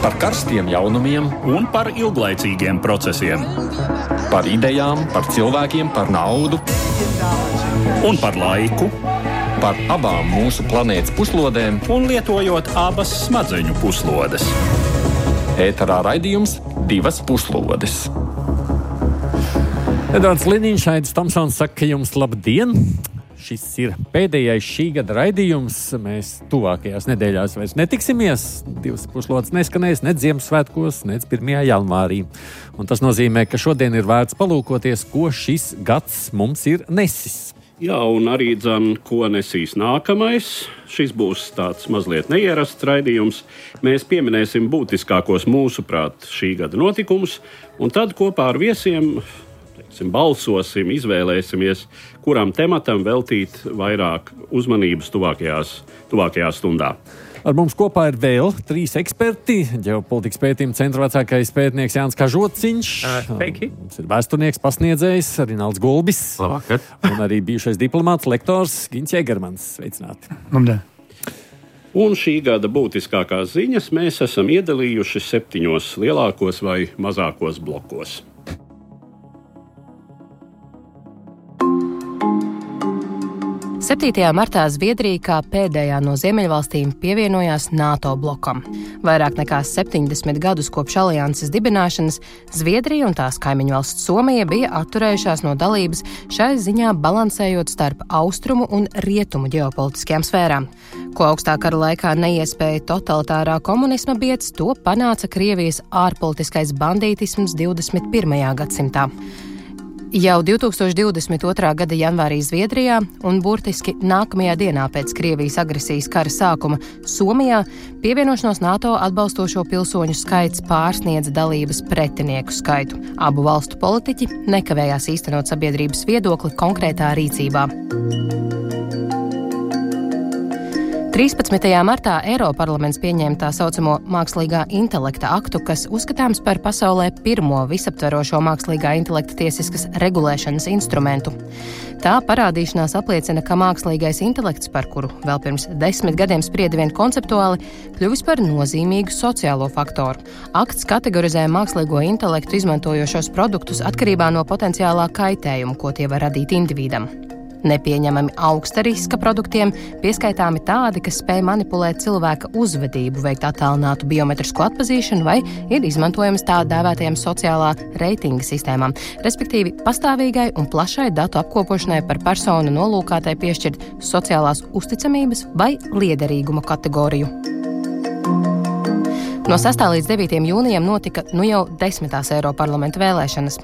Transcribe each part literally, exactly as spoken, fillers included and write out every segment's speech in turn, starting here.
Par karstiem jaunumiem un par ilglaicīgiem procesiem. Par idejām, par cilvēkiem, par naudu un par laiku. Par abām mūsu planētas puslodēm Un lietojot abas smadzeņu puslodes. ēterā raidījums Divas puslodes. Edvards Liniņš, Aidis Tomsons saka jums labdien! Šis ir pēdējais šī gada raidījums. Mēs tuvākajās nedēļās vairs netiksimies. Divas puslodes neskanēs ne Ziemassvētkos, ne pirmajā janvārī. Un tas nozīmē, ka šodien ir vērts palūkoties, ko šis gads mums ir nesis. Jā, un arī dzan, ko nesīs nākamais. Šis būs tāds mazliet neierasts raidījums. Mēs pieminēsim būtiskākos mūsuprāt šī gada notikumus, un tad kopā ar viesiem teiksim, balsosim, izvēlēsimies, kuram tematam veltīt vairāk uzmanības tuvākajās, tuvākajā stundā. Ar mums kopā ir vēl trīs eksperti. Ģeopolitikas pētījuma centra vecākais pētnieks Jānis Kažociņš. Sveiki. Mums ir vēsturnieks, pasniedzējs Rinalds Gulbis. Labvakar. Un arī bijušais diplomāts, lektors Gins Jēgermans. Sveicināti. Labdien. Un šī gada būtiskākās ziņas mēs esam iedalījuši septiņos lielākos vai mazākos blokos. septītajā martā Zviedrija kā pēdējā no Ziemeļvalstīm pievienojās NATO blokam. Vairāk nekā septiņdesmit gadus kopš alianses dibināšanas Zviedrija un tās kaimiņu valsts Somija bija atturējušās no dalības, šai ziņā balansējot starp austrumu un rietumu ģeopolitiskajām sfērām. Ko augstā kara laikā neiespēja totalitārā komunisma biedz, to panāca Krievijas ārpolitiskais bandītisms divdesmit pirmajā gadsimtā. Jau divtūkstoš divdesmit otrā gada janvārī Zviedrijā un burtiski nākamajā dienā pēc Krievijas agresijas kara sākuma Somijā pievienošanos NATO atbalstošo pilsoņu skaits pārsniedza dalības pretinieku skaitu. Abu valstu politiķi nekavējās īstenot sabiedrības viedokli konkrētā rīcībā. trīspadsmitajā martā Eiroparlaments pieņēma tā saucamo mākslīgā intelekta aktu, kas uzskatāms par pasaulē pirmo visaptverošo mākslīgā intelekta tiesiskas regulēšanas instrumentu. Tā parādīšanās apliecina, ka mākslīgais intelekts, par kuru vēl pirms desmit gadiem sprieda vien konceptuāli, kļuvis par nozīmīgu sociālo faktoru. Akts kategorizē mākslīgo intelektu izmantojošos produktus atkarībā no potenciālā kaitējuma, ko tie var radīt individam. Nepieņemami augsta riska produktiem pieskaitāmi tādi, kas spēj manipulēt cilvēka uzvedību, veikt attālinātu biometrisku atpazīšanu vai ir izmantojams tā dēvētajam sociālā reitinga sistēmām, respektīvi pastāvīgai un plašai datu apkopošanai par personu nolūkātai piešķirt sociālās uzticamības vai liederīguma kategoriju. No sastā līdz devītajam jūnijam notika nu jau desmitās Eiroparlamenta vēlēšanas.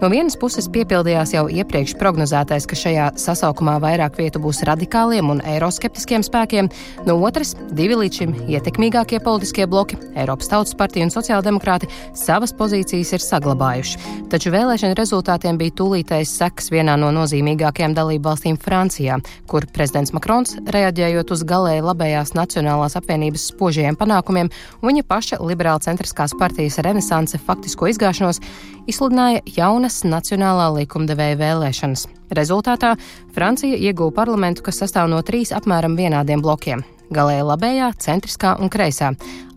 No vienas puses piepildījās jau iepriekš prognozētais, ka šajā sasaukumā vairāk vietu būs radikāliem un eiroskeptiskiem spēkiem, no otras divi līdz šim ietekmīgākie politiskie bloki, Eiropas Tautas partija un sociāldemokrāti, savas pozīcijas ir saglabājuši. Taču vēlēšana rezultātiem bija tūlītais seks vienā no nozīmīgākajām dalību valstīm Francijā, kur prezidents Makrons, reaģējot uz galēji labējās Nacionālās apvienības spožajiem panākumiem, un viņa paša liberāla centriskās partijas renesanse faktisko izgāšanos, izsludināja jaunas nacionālā likumdevēja vēlēšanas. Rezultātā Francija ieguva parlamentu, kas sastāv no trīs apmēram vienādiem blokiem – galēji labējā, centriskā un kreisā,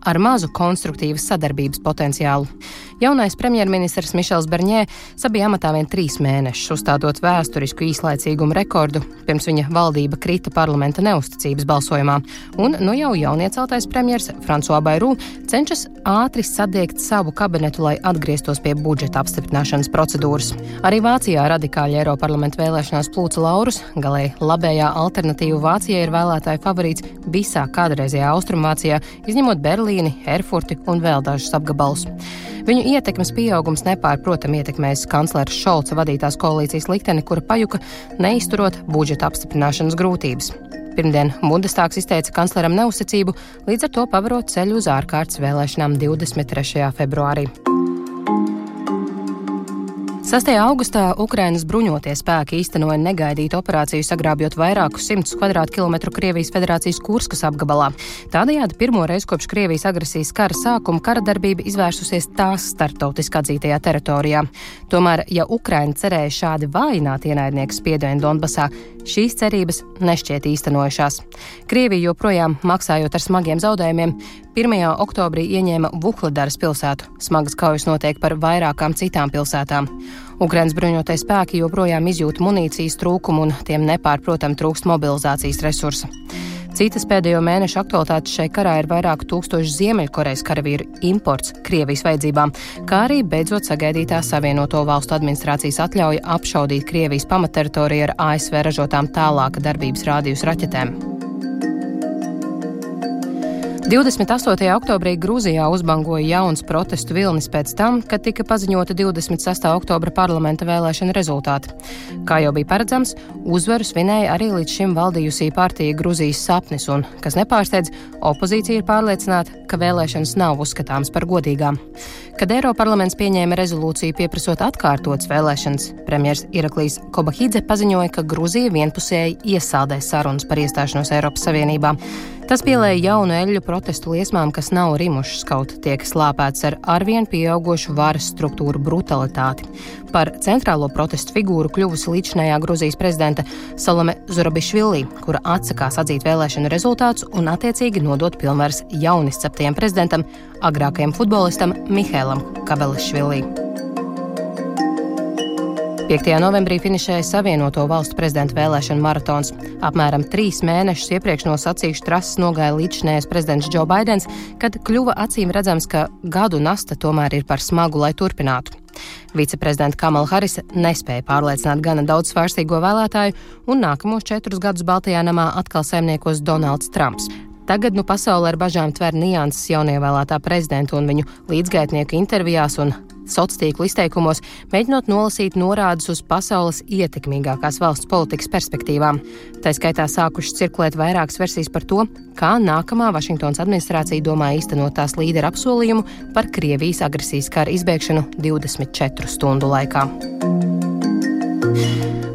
ar mazu konstruktīvas sadarbības potenciālu. Jaunais premjerministrs Mišels Barņē sabija amatā vien trīs mēnešus, uzstādot vēsturisku īslaicīgumu rekordu, pirms viņa valdība krita parlamenta neusticības balsojumā. Un nu jau jaunieceltais premjers François Bayrou cenšas ātri sadiegt savu kabinetu, lai atgrieztos pie budžeta apstiprināšanas procedūras. Arī Vācijā radikāļi Eiroparlamenta vēlēšanās plūca laurus, galēji labējā alternatīva Vācijai ir vēlētāju favorīts visā kādreizajā Austrumvācijā, izņemot Berlīni, Erfurti un vēl dažus apgabalus. Viņu ietekmes pieaugums nepārprotam ietekmēs kanclera Šolca vadītās koalīcijas likteni, kura pajuka neizturot budžeta apstiprināšanas grūtības. Pirmdien Bundestāgs izteica kancleram neuzticību, līdz ar to pavarot ceļu uz ārkārtas vēlēšanām divdesmit trešajā februārī. sastajā augustā Ukrainas bruņotie spēki īstenoja negaidītu operāciju, sagrābjot vairākus simtus kvadrātkilometru Krievijas Federācijas Kurskas apgabalā. Tādējādi pirmo reizi kopš Krievijas agresijas kara sākuma kara darbība izvērsusies tās starptautiski atzītajā teritorijā. Tomēr, ja Ukraina cerēja šādi vājināt ienaidnieku spiedienu Donbasā, šīs cerības nešķiet īstenojušās. Krievija joprojām, maksājot ar smagiem zaudējumiem, pirmajā oktobrī ieņēma Vuhledaras pilsētu. Smagas kaujas notiek par vairākām citām pilsētām. Ukrainas bruņotie spēki joprojām izjūt munīcijas trūkumu un tiem nepārprotam trūkst mobilizācijas resursa. Citas pēdējo mēnešu aktualitātes šai karā ir vairāku tūkstošu Ziemeļkorejas karavīru imports Krievijas vajadzībām, kā arī beidzot sagaidītā Savienoto valstu administrācijas atļauja apšaudīt Krievijas pamatteritoriju ar A S V ražotām tālāka darbības rādījus raķetēm. divdesmit astotajā oktobrī Grūzijā uzbangoja jauns protestu vilnis pēc tam, kad tika paziņota divdesmit sestā oktobra parlamenta vēlēšana rezultāti. Kā jau bija paredzams, uzvaru svinēja arī līdz šim valdījusī partija Grūzijas sapnis un, kas nepārsteidz, opozīcija ir pārliecināta, ka vēlēšanas nav uzskatāmas par godīgām. Kad Eiroparlaments pieņēma rezolūciju pieprasot atkārtotas vēlēšanas, premjers Iraklijs Kobahidze paziņoja, ka Grūzija vienpusēji iesaldē sarunas par iestāšanos Eiropas Savienībā. Tas pielēja jaunu eļļu protestu liesmām, kas nav rimušas, kaut tiek slāpēts ar arvien pieaugošu varas struktūru brutalitāti. Par centrālo protestu figūru kļuvusi līdzinējā Gruzijas prezidenta Salome Zurabišvili, kura atsakās atzīt vēlēšanu rezultātus un attiecīgi nodot pilnvaras jaunisceptajam prezidentam, agrākajam futbolistam Mihēlam Kabelišvili. piektajā novembrī finišēja Savienoto valstu prezidenta vēlēšana maratons. Apmēram trīs mēnešus iepriekš no sacīkšu trases nogāja līdzinējais prezidents Džo Baidens, kad kļuva acīm redzams, ka gadu nasta tomēr ir par smagu, lai turpinātu. Viceprezidenta Kamala Harisa nespēja pārliecināt gana daudz svārstīgo vēlētāju, un nākamos četrus gadus Baltajā namā atkal saimniekos Donalds Trumps. Tagad nu pasaule ar bažām tver nianses jaunievēlētā prezidenta un viņu līdzgaitnieku intervijās un sociālo izteikumos, mēģinot nolasīt norādes uz pasaules ietekmīgākās valsts politikas perspektīvām. Tā skaitā sākušas cirkulēt vairākas versijas par to, kā nākamā Vašingtonas administrācija domā īstenot tās līderu apsolījumu par Krievijas agresijas kara izbeigšanu divdesmit četru stundu laikā.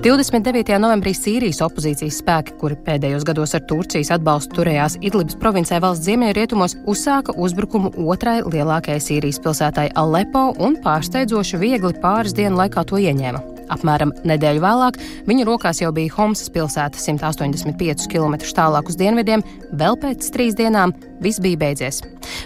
divdesmit devītajā novembrī Sīrijas opozīcijas spēki, kuri pēdējos gados ar Turcijas atbalstu turējās Idlibas provincē valsts ziemeļrietumos, uzsāka uzbrukumu otrai lielākajai Sīrijas pilsētai Alepo un pārsteidzoši viegli pāris dienu laikā to ieņēma. Apmēram nedēļu vēlāk viņu rokās jau bija Homsas pilsēta simt astoņdesmit piecus kilometrus tālāk uz dienvidiem, vēl pēc trīs dienām viss bija beidzies.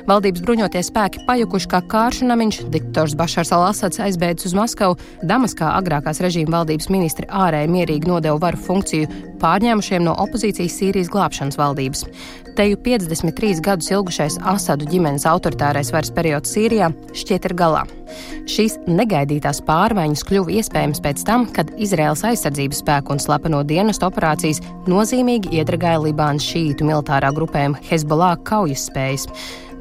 Valdības bruņotie spēki pajukuši kā kāršu namiņš, diktators Bašars al-Asads aizbēdzis uz Maskavu, Damaskā agrākās režīma valdības ministri ārēji mierīgi nodeva varu funkciju pārņēmušiem no opozīcijas Sīrijas glābšanas valdības. Teju piecdesmit trīs gadus ilgušais Asadu ģimenes autoritārais varas periods Sīrijā šķiet ir galā. Šīs negaidītās pārmaiņas kļuva iespējams pēc tam, kad Izraēlas aizsardzības spēku un slepeno dienestu operācijas nozīmīgi iedragāja Libānas šīitu militārā grupējuma Hezbollah kaujas spējas.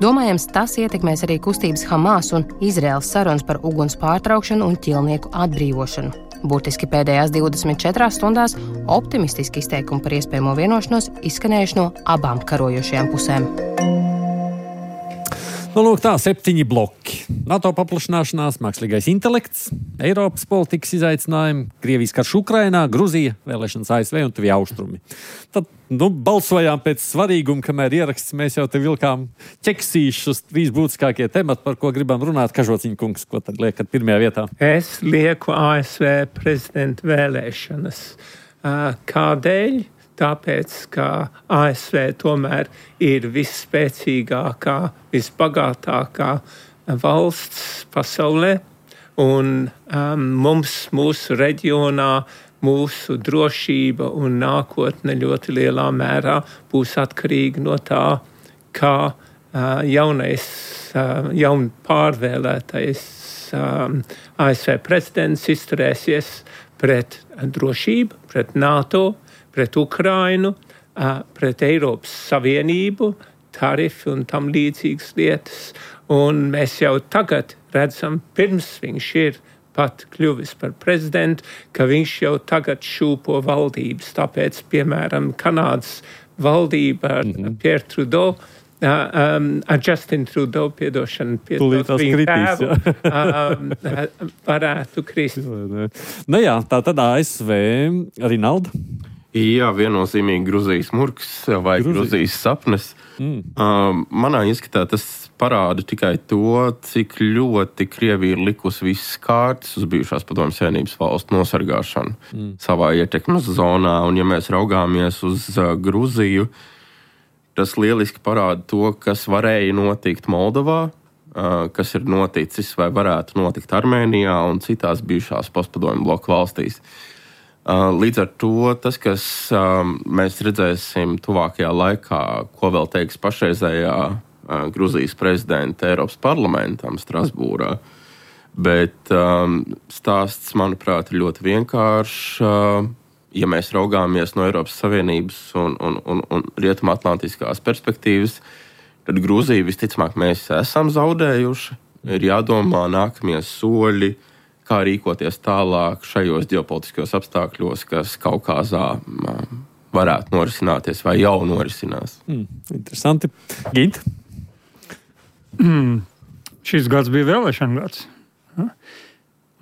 Domājams, tas ietekmēs arī kustības Hamas un Izraēlas sarunas par uguns pārtraukšanu un ķilnieku atbrīvošanu. Burtiski pēdējās divdesmit četrās stundās optimistiski izteikumi par iespējamo vienošanos izskanējuši no abām karojošajām pusēm. Nu, lūk, tā septiņi bloki. NATO paplašināšanās, mākslīgais intelekts, Eiropas politikas izaicinājumi, Krievijas karš Ukrainā, Gruzija, vēlēšanas A S V un tuvie austrumi. Tad, nu, balsojām pēc svarīguma, kamēr ieraksts, mēs jau te vilkām ķeksīšus trīs būtiskākie temati, par ko gribam runāt. Kažociņa kungs, ko tad liekat pirmajā vietā? Es lieku A S V prezidenta vēlēšanas. Kādēļ? Tāpēc, ka A S V tomēr ir visspēcīgākā, visbagātākā valsts pasaulē, un um, mums, mūsu reģionā, mūsu drošība un nākotne ļoti lielā mērā būs atkarīga no tā, kā uh, jaunais, uh, jaun pārvēlētais um, A S V prezidents izturēsies pret drošību, pret NATO, pret Ukrainu, pret Eiropas Savienību, tarifi un tam līdzīgas lietas. Un mēs jau tagad redzam, pirms viņš ir pat kļuvis par prezidentu, ka viņš jau tagad šūpo valdības. Tāpēc, piemēram, Kanādas valdība ar mm-hmm. Pierre Trudeau um, ar Justin Trudeau piedošanu, Tūlīt tās kritīs, um, varētu krist. Nu jā, tā tad A S V, Rinalda. Jā, viennozīmīgi Gruzijas murgs vai Gruzijas, Gruzijas sapnes. Mm. Um, manā ieskatā tas parāda tikai to, cik ļoti Krievija ir likusi visas kārtas uz bijušās padomju savienības valstu nosargāšanu mm. savā ietekmes zonā. Un ja mēs raugāmies uz uh, Gruziju, tas lieliski parāda to, kas varēja notikt Moldovā, uh, kas ir noticis vai varētu notikt Armēnijā un citās bijušās postpadomju bloku valstīs. Līdz ar to tas, kas um, mēs redzēsim tuvākajā laikā, ko vēl teiks pašreizējā uh, Gruzijas prezidenta Eiropas parlamentam Strasbūrā, bet um, stāsts, manuprāt, ir ļoti vienkāršs. Uh, ja mēs raugāmies no Eiropas Savienības un, un, un, un rietumatlantiskās perspektīvas, tad Gruziju visticamāk mēs esam zaudējuši. Ir jādomā nākamie soļi, kā rīkoties tālāk šajos ģeopolitiskos apstākļos, kas Kaukāzā varētu norisināties vai jau norisinās. Mm, interesanti. Gint? Mm, šis gads bija vēlēšana gads. Ja?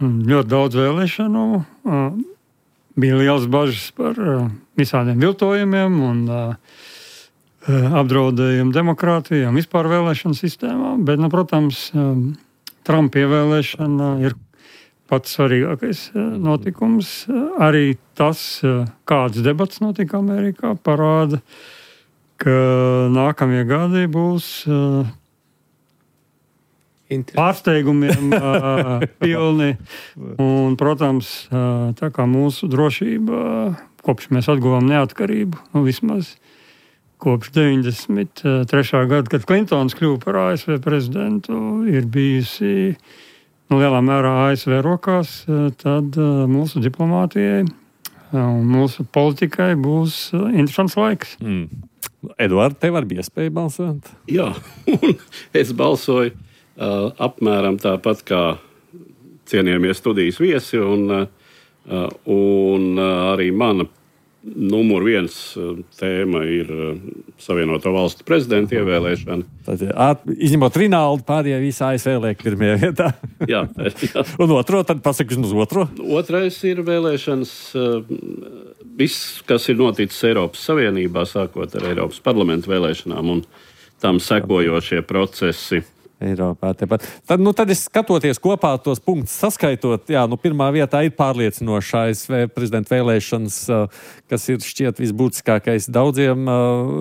Ļoti daudz vēlēšanu. Bija liels bažas par visādiem viltojumiem un apdraudējumu demokrātijai un vispār vēlēšanu sistēmām. Bet, nu, protams, Trumpa ievēlēšana ir pats svarīgākais notikums. Arī tas, kāds debats notika Amerikā, parāda, ka nākamie gadi būs pārsteigumiem pilni. Un, protams, tā kā mūsu drošība, kopš mēs atguvām neatkarību, nu vismaz kopš deviņdesmit trešā gada, kad Klintons kļuva par A S V prezidentu, ir bijusi nu, lielā mērā A S V rokās, tad mūsu diplomātijai un mūsu politikai būs interesants laiks. Mm. Eduard, tev var bija iespēja balsot? Jā, un es balsoju uh, apmēram tāpat kā cienījamie studijas viesi, un, uh, un uh, arī mana numur viens tēma ir Savienoto valstu prezidenta ievēlēšana. Tad, izņemot Rinaldu, pārējie visi A S V liek pirmajā vietā. jā, jā. Un otro, tad pasakas uz otro? Otrais ir vēlēšanas, viss, kas ir noticis Eiropas Savienībā, sākot ar Eiropas parlamentu vēlēšanām un tam sekojošie procesi. Eiropā. Tepat. Tad, nu, tad es skatoties kopā tos punktus saskaitot, jā, nu, pirmā vietā ir pārliecinoša A S V prezidenta vēlēšanas, kas ir šķiet visbūtiskākais daudziem.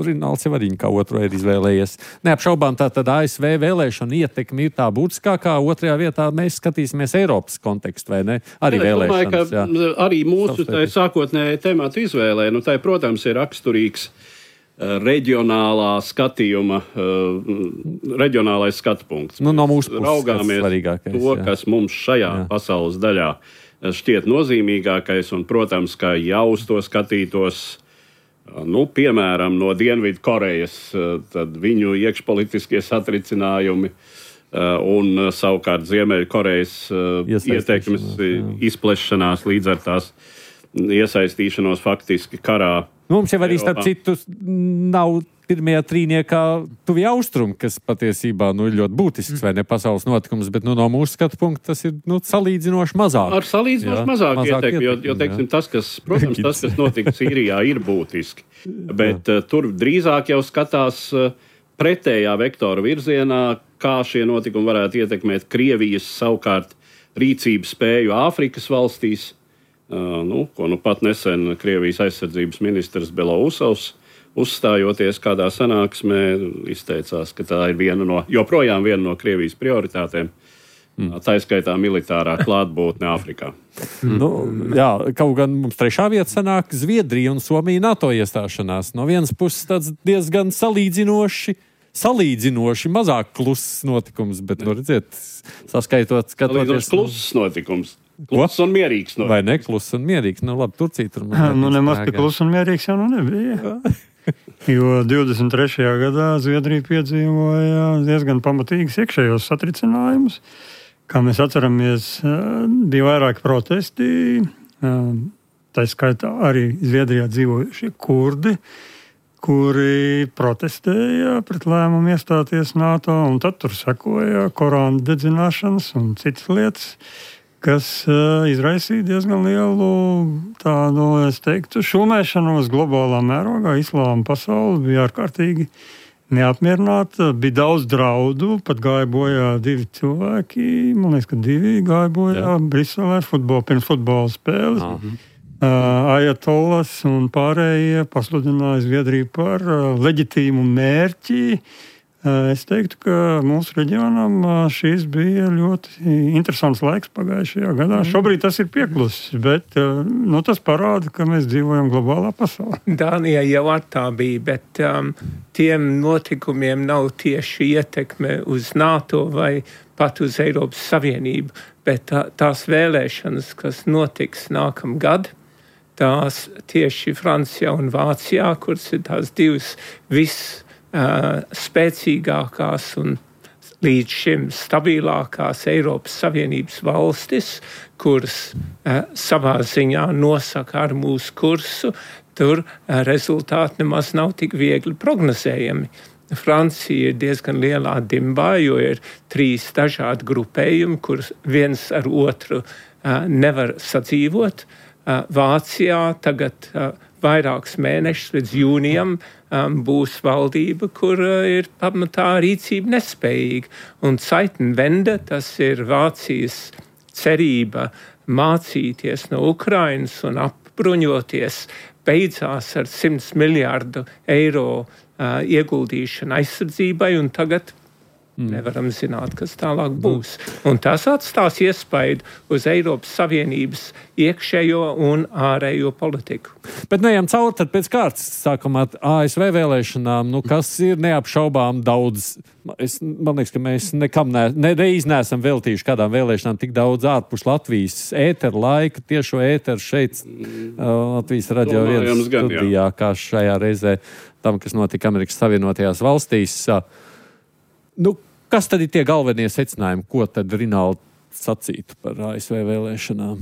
Rinalds jau arī kā otro ir izvēlējies. Neapšaubām tā tad A S V vēlēšana ietekme ir tā būtiskākā. Otrajā vietā mēs skatīsimies Eiropas kontekstu, vai ne? Arī jā, vēlēšanas. Es domāju, ka arī mūsu sākotnēji tematu izvēlē, nu, tai, protams, ir raksturīgs reģionālā skatījuma, reģionālais skatu punkts. Nu, no mūsu puses raugāmies to, jā. Kas mums šajā jā. Pasaules daļā šķiet nozīmīgākais, un, protams, kā jau uz to skatītos, nu, piemēram, no Dienvidu Korejas, tad viņu iekšpolitiskie satricinājumi un savukārt Ziemeļu Korejas ietekmes izplešanās līdz ar tās iesaistīšanos faktiski karā. Mums jau arī starp citu nav pirmajā trīniekā tuvi austrumi, kas patiesībā nu, ir ļoti būtisks vai ne pasaules notikums, bet nu, no mūsu skatu punkta tas ir nu, salīdzinoši mazāk. Ar salīdzinoši mazāk, mazāk ietekmi, jo, jo teiksim, tas, kas, protams, tas, kas notika Sīrijā, ir būtiski. Bet uh, tur drīzāk jau skatās uh, pretējā vektora virzienā, kā šie notikumi varētu ietekmēt Krievijas savukārt rīcības spēju Āfrikas valstīs. Uh, nu, ko nu pat nesen Krievijas aizsardzības ministrs Belousovs, uzstājoties kādā sanāksmē, izteicās, ka tā ir viena no, joprojām viena no Krievijas prioritātēm, mm. tā izskaitā militārā klātbūtne Āfrikā. Mm. Nu, jā, kaut gan mums trešā vieta sanāk Zviedrija un Somija NATO iestāšanās. No vienas puses tāds diezgan salīdzinoši, salīdzinoši mazāk kluss notikums, bet, nu, redziet, saskaitot, skatoties... Salīdzinoši kluss notikums. Kluss un mierīgs. No. Vai ne? Kluss un mierīgs. Nu, labi, Turcija tur... Nu, nemaz tik kluss un mierīgs jau nu nebija. Jo divdesmit trešajā gadā Zviedrija piedzīvoja diezgan pamatīgas iekšējos satricinājumus. Kā mēs atceramies, bija vairāki protesti. Tā skaitā arī Zviedrijā dzīvojušie kurdi, kuri protestēja pret lēmumu iestāties NATO, un tad tur sekoja Korāna dedzināšanas un citas lietas, kas uh, izraisīja diezgan lielu tādu, es teiktu, šumēšanos globālā mērogā. Islāma pasaule bija ārkārtīgi neapmierināta, bija daudz draudu, pat gāja bojā divi cilvēki, man liekas, ka divi gāja bojā Jā. Briselē futbol, pirms futbola spēles. Aha. Uh, Ajatolas un pārējie pasludināja Zviedriju par uh, leģitīmu mērķi. Uh, es teiktu, ka mūsu reģionam uh, šis bija ļoti interesants laiks pagājušajā gadā. Mm. Šobrīd tas ir pieklusis, bet uh, nu, tas parāda, ka mēs dzīvojam globālā pasaulē. Dānijā jau ar tā bija, bet um, tiem notikumiem nav tieši ietekme uz NATO vai pat uz Eiropas Savienību, bet tā, tās vēlēšanas, kas notiks nākamgad, tās tieši Francijā un Vācijā, kuras ir tās divas visspēcīgākās uh, un līdz šim stabilākās Eiropas Savienības valstis, kuras uh, savā ziņā nosaka ar mūsu kursu, tur uh, rezultāti nemaz nav tik viegli prognozējami. Francija ir diezgan lielā dimbā, jo ir trīs dažādi grupējumi, kurus viens ar otru uh, nevar sadzīvot. Vācijā tagad uh, vairākus mēnešus līdz jūnijam um, būs valdība, kur uh, ir pamatā rīcība nespējīga. Un Zeitenwende, tas ir Vācijas cerība mācīties no Ukrainas un apbruņoties, beidzās ar simts miljārdu eiro uh, ieguldīšanu aizsardzībai, un tagad nevaram zināt, kas tālāk būs. Un tas atstās iespaidu uz Eiropas Savienības iekšējo un ārējo politiku. Bet neejam cauri, tad pēc kārtas sākam ar A S V vēlēšanām, nu, kas ir neapšaubām daudz. Es, man liekas, ka mēs nekam ne, nereiz neesam veltījuši kādām vēlēšanām tik daudz ārpus Latvijas ēteru laika, tiešo ēteru šeit Latvijas radio vienas studijā, kā šajā reizē tam, kas notika Amerikas Savienotajās valstīs. Nu, kas tad ir tie galvenie secinājumi, ko tad Rinaldi sacītu par A S V vēlēšanām?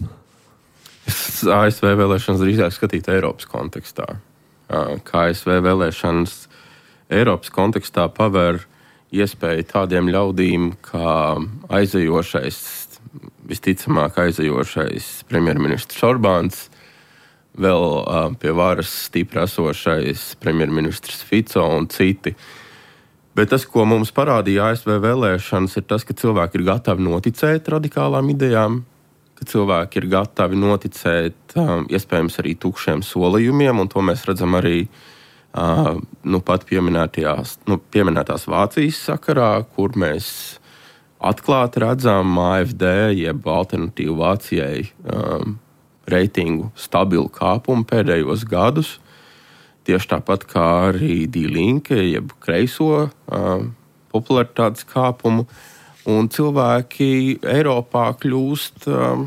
Es A S V vēlēšanas drīzāk skatītu Eiropas kontekstā. Kā A S V vēlēšanas Eiropas kontekstā paver iespēju tādiem ļaudīm, kā aizejošais, visticamāk aizejošais premjerministrs Orbāns, vēl pie varas stipri esošais premjerministrs Fico un citi. Bet tas, ko mums parādīja A S V vēlēšanas, ir tas, ka cilvēki ir gatavi noticēt radikālām idejām, ka cilvēki ir gatavi noticēt um, iespējams arī tukšiem solījumiem, un to mēs redzam arī uh, nu, pat nu, pieminētās Vācijas sakarā, kur mēs atklāti redzam A F D, jeb alternatīvu Vācijai um, reitingu stabilu kāpumu pēdējos gadus. Tieši tāpat kā arī Die Linke, jeb kreiso uh, popularitātes kāpumu, un cilvēki Eiropā kļūst um,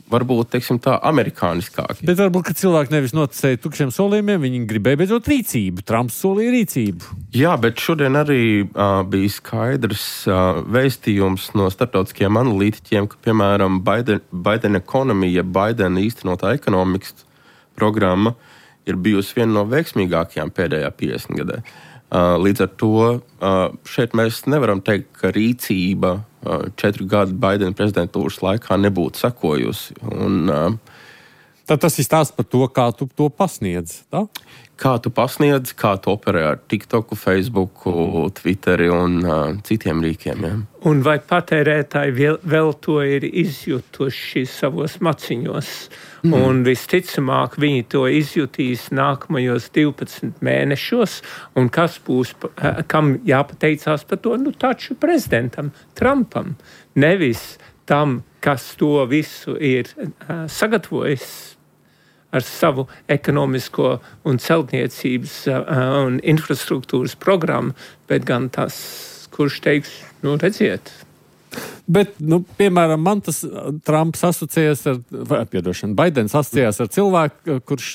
varbūt, teiksim tā, amerikāniskāki. Bet varbūt, ka cilvēki nevis noticēja tukšiem solījumiem, viņi gribēja beidzot rīcību. Trumps solīja rīcību. Jā, bet šodien arī uh, bija skaidrs uh, vēstījums no starptautiskiem analītiķiem, ka, piemēram, Biden, Biden Economy, ja Biden īstenotā ekonomikas programma, ir bijusi viena no veiksmīgākajām pēdējā piecdesmit gadē. Līdz ar to šeit mēs nevaram teikt, ka rīcība četru gadu Baidena prezidentūras laikā nebūtu sekojusi. Un, Tad tas ir stāsts par to, kā tu to pasniedz, tā? Kā tu pasniedz, kā tu operē ar TikToku, Facebooku, Twitteri un uh, citiem rīkiem. Ja? Un vai patērētāji vēl, vēl to ir izjutuši savos maciņos? Mm. Un visticamāk viņi to izjutīs nākamajos divpadsmit mēnešos, un kas būs, kam jāpateicās par to? Nu, taču prezidentam, Trumpam, nevis tam, kas to visu ir uh, sagatavojis ar savu ekonomisko un celtniecības uh, un infrastruktūras programmu, bet gan tas, kurš teiks, nu, redziet. Bet, nu, piemēram, man tas Trumps asociējas ar, vai, piedošana, Baidens asociējas ar cilvēku, kurš,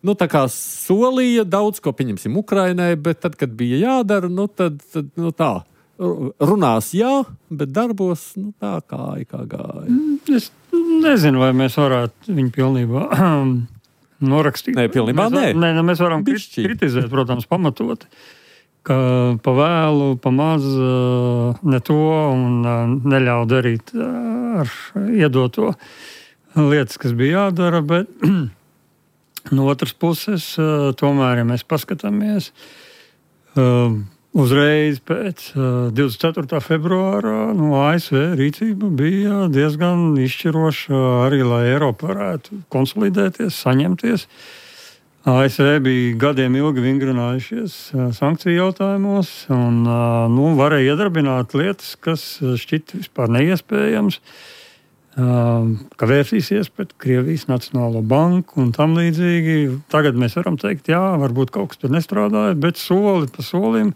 nu, tā kā solīja daudz, ko pieņemsim Ukrainai, bet tad, kad bija jādara, nu, tad, tad nu, tā, runās jā, bet darbos, nu, tā kā, kā gāja. Es nezinu, vai mēs varētu viņu pilnībā norakstīt. Nē, pilnībā mēs, nē. Nē, mēs varam Bišķi. kritizēt, protams, pamatot, ka pa vēlu, pa maz ne to un neļauj darīt ar iedoto lietas, kas bija jādara, bet no otras puses, tomēr, ja mēs paskatāmies, uzreiz pēc divdesmit ceturtā februāra no A S V rīcība bija diezgan izšķiroša arī, lai Eiropa varētu konsolidēties, saņemties. A S V bija gadiem ilgi vingrinājušies sankciju jautājumos un nu, varēja iedarbināt lietas, kas šķita vispār neiespējams, ka vērsīsies pret Krievijas Nacionālo banku un tam līdzīgi. Tagad mēs varam teikt, jā, varbūt kaut kas tur nestrādāja, bet soli pa solim.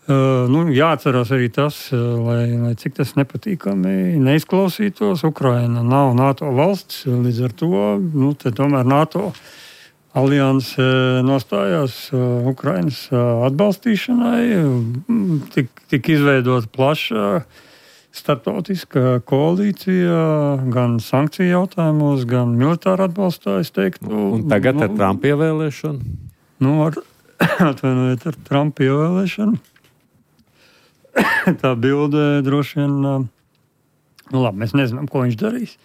Nu, jāatcerās arī tas, lai, lai cik tas nepatīkami neizklausītos. Ukraina nav NATO valsts, līdz ar to nu, te tomēr NATO alianse nostājās Ukrainas atbalstīšanai, tik, tik izveidot plaša starptautiska koalīcija gan sankciju jautājumos, gan militāra atbalstā, es teiktu. Un tagad nu, ar Trumpa ievēlēšanu? Nu, ar, atvainojiet, ar Trumpa ievēlēšanu. Tā bilde droši vien, nu labi, mēs nezinām, ko viņš darīs.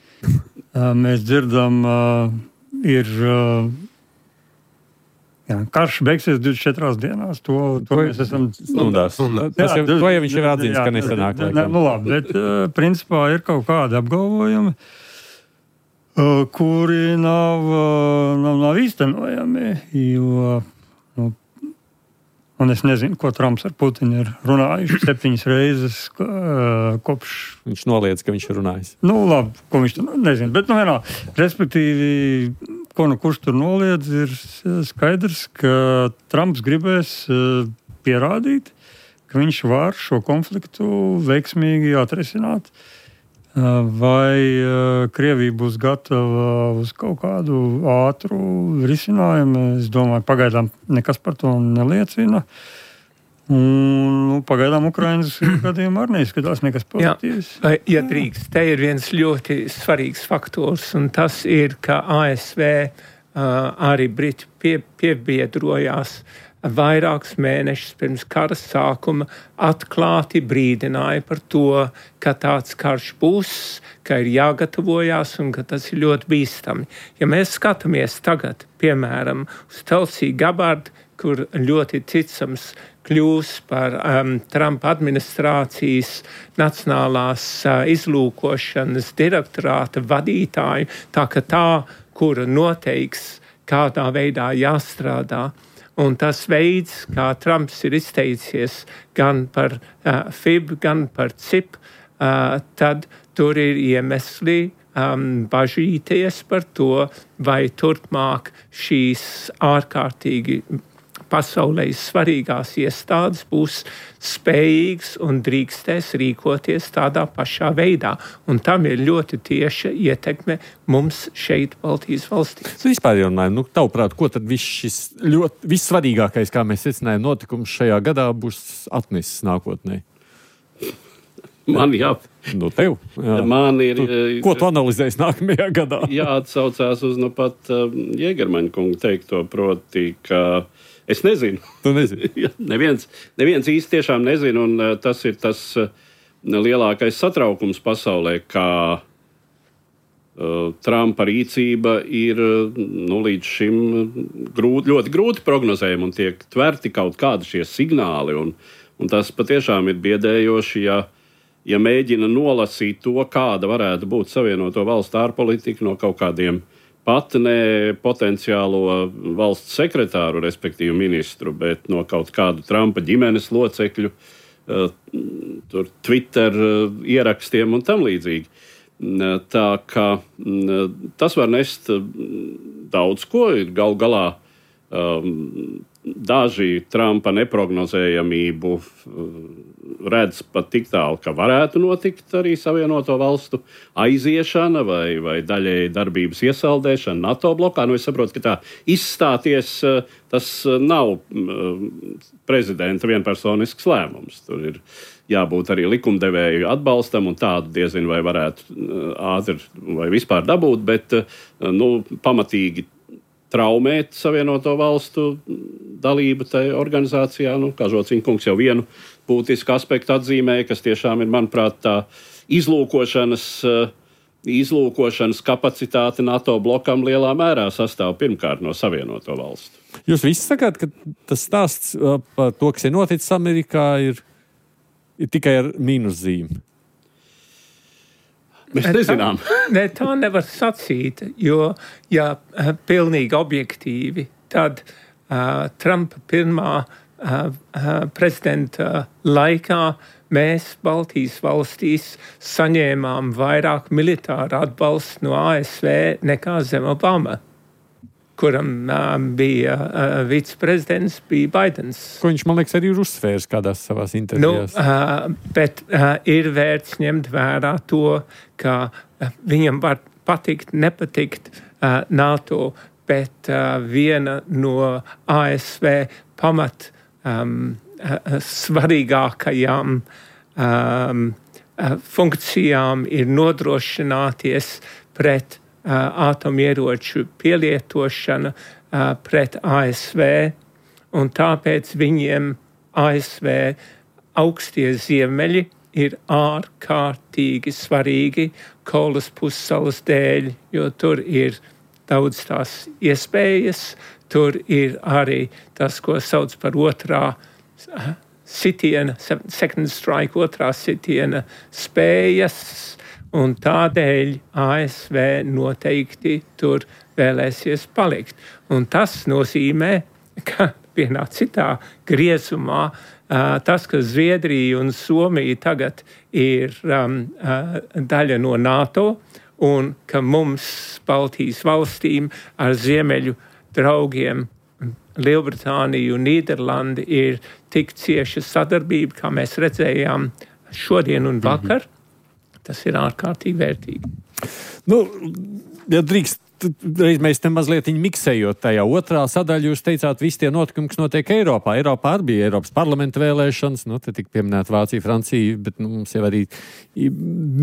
Mēs dzirdam, ir... Jā, karš beigsies divdesmit četrās dienās. To, to mēs esam stundās. Tas jau, to jau viņš ir atzīts, ka nesanāk. Ne, nu labi, bet uh, principā ir kaut kādi apgalvojumi, uh, kuri nav, uh, nav, nav īstenojami. Jo, nu, un es nezinu, ko Trumps ar Putinu ir runājuši septiņas reizes uh, kopš. Viņš noliedz, ka viņš ir runājis. Nu labi, ko viņš tur nezinu. Bet, nu vienā, respektīvi, ko nu kurš tur noliedz, ir skaidrs, ka Trumps gribēs pierādīt, ka viņš var šo konfliktu veiksmīgi atrisināt. Vai Krievija būs gatava uz kaut kādu ātru risinājumu? Es domāju, pagaidām nekas par to neliecina. Un, nu, pagaidām Ukrainas gadījumā arī neizskatās nekas pozitīvs. Jā, ja drīkst, te ir viens ļoti svarīgs faktors, un tas ir, ka A S V uh, arī Briti pie, piebiedrojās vairākus mēnešus pirms kara sākuma, atklāti brīdināja par to, ka tāds karš būs, ka ir jāgatavojās un ka tas ir ļoti bīstami. Ja mēs skatāmies tagad, piemēram, uz Tulsi Gabbard, kur ļoti ticams kļūs par um, Trumpa administrācijas nacionālās uh, izlūkošanas direktorāta vadītāju, tā ka tā, kura noteiks, kādā veidā jāstrādā. Un tas veids, kā Trumps ir izteicies gan par uh, F I B, gan par C I P, uh, tad tur ir iemesli um, bažīties par to, vai turpmāk šīs ārkārtīgi pasaulē svarīgās iestādes būs spējīgas un drīkstēs rīkoties tādā pašā veidā. Un tam ir ļoti tieša ietekme mums šeit Baltijas valstīs. Es vispār runāju, nu, tavuprāt, ko tad viss šis ļoti vissvarīgākais, kā mēs secinājām, notikums šajā gadā būs atnesis nākotnē? Man jā. Nu, tev. Jā. Man ir... Tu, ko tu analizēsi nākamajā gadā? Jāatsaucās uz nu pat uh, Jēgermaņa kunga teikto, proti, ka es nezinu. Tu nezini? neviens, neviens īsti tiešām nezina, un uh, tas ir tas uh, lielākais satraukums pasaulē, kā uh, Trumpa rīcība ir uh, nu, līdz šim grūti, ļoti grūti prognozējama un tiek tverti kaut kādi šie signāli, un, un tas patiešām ir biedējoši, ja, ja mēģina nolasīt to, kāda varētu būt Savienoto Valstu ārpolitika no kaut kādiem pat ne potenciālo valsts sekretāru, respektīvi ministru, bet no kaut kādu Trumpa ģimenes locekļu, uh, tur Twitter uh, ierakstiem un tam līdzīgi. Uh, tā kā uh, tas var nest uh, daudz ko, ir gal galā um, daži Trumpa neprognozējamību redz pat tik tālu, ka varētu notikt arī Savienoto Valstu aiziešana vai, vai daļēji darbības iesaldēšana NATO blokā. Nu, es saprotu, ka tā izstāties, tas nav prezidenta vienpersonisks lēmums. Tur ir jābūt arī likumdevēju atbalstam, un tādu diezinu vai varētu ātri vai vispār dabūt, bet nu, pamatīgi traumēt Savienoto valstu dalību tajā organizācijā. Nu, kā Žociņa kungs jau vienu būtisku aspektu atzīmēja, kas tiešām ir, manuprāt, tā izlūkošanas, izlūkošanas kapacitāte NATO blokam lielā mērā sastāv pirmkārt no Savienoto valstu. Jūs visi sakāt, ka tas stāsts par to, kas ir noticis Amerikā, ir, ir tikai ar mīnuszīmi? Mēs nezinām. Ne, tā nevar sacīt, jo, ja pilnīgi objektīvi, tad uh, Trumpa pirmā uh, uh, prezidenta laikā mēs Baltijas valstīs saņēmām vairāk militāru atbalstu no A S V nekā zem Obama, kuram uh, bija uh, viceprezidents, bija Baidens. Ko viņš, man liekas, arī ir uzsvērs kādās savās intervijās. Nu, uh, bet uh, ir vērts ņemt vērā to, ka uh, viņam var patikt, nepatikt uh, NATO, bet uh, viena no A S V pamat um, uh, svarīgākajām um, uh, funkcijām ir nodrošināties pret Uh, atomieroču pielietošana uh, pret A S V, un tāpēc viņiem A S V augstie ziemeļi ir ārkārtīgi svarīgi Kolas pussalas dēļ, jo tur ir daudz tās iespējas, tur ir arī tas, ko sauc par otrā uh, sitiena, second strike, otrā sitiena spējas, un tādēļ A S V noteikti tur vēlēsies palikt. Un tas nozīmē, ka vienā citā griezumā uh, tas, ka Zviedrija un Somija tagad ir um, uh, daļa no NATO, un ka mums, Baltijas valstīm, ar ziemeļu draugiem Lielbritāniju un Nīderlandi ir tik cieša sadarbība, kā mēs redzējām šodien un vakar. Mm-hmm. Tas ir ārkārtīgi vērtīgi. Nu, ja drīkst, reiz mēs te mazliet miksējot tajā otrā sadaļā, jūs teicāt, visi tie notikumi, kas notiek Eiropā. Eiropā arī bija Eiropas parlamenta vēlēšanas, nu, te tik pieminēt Vācija, Francija, bet nu, mums jau arī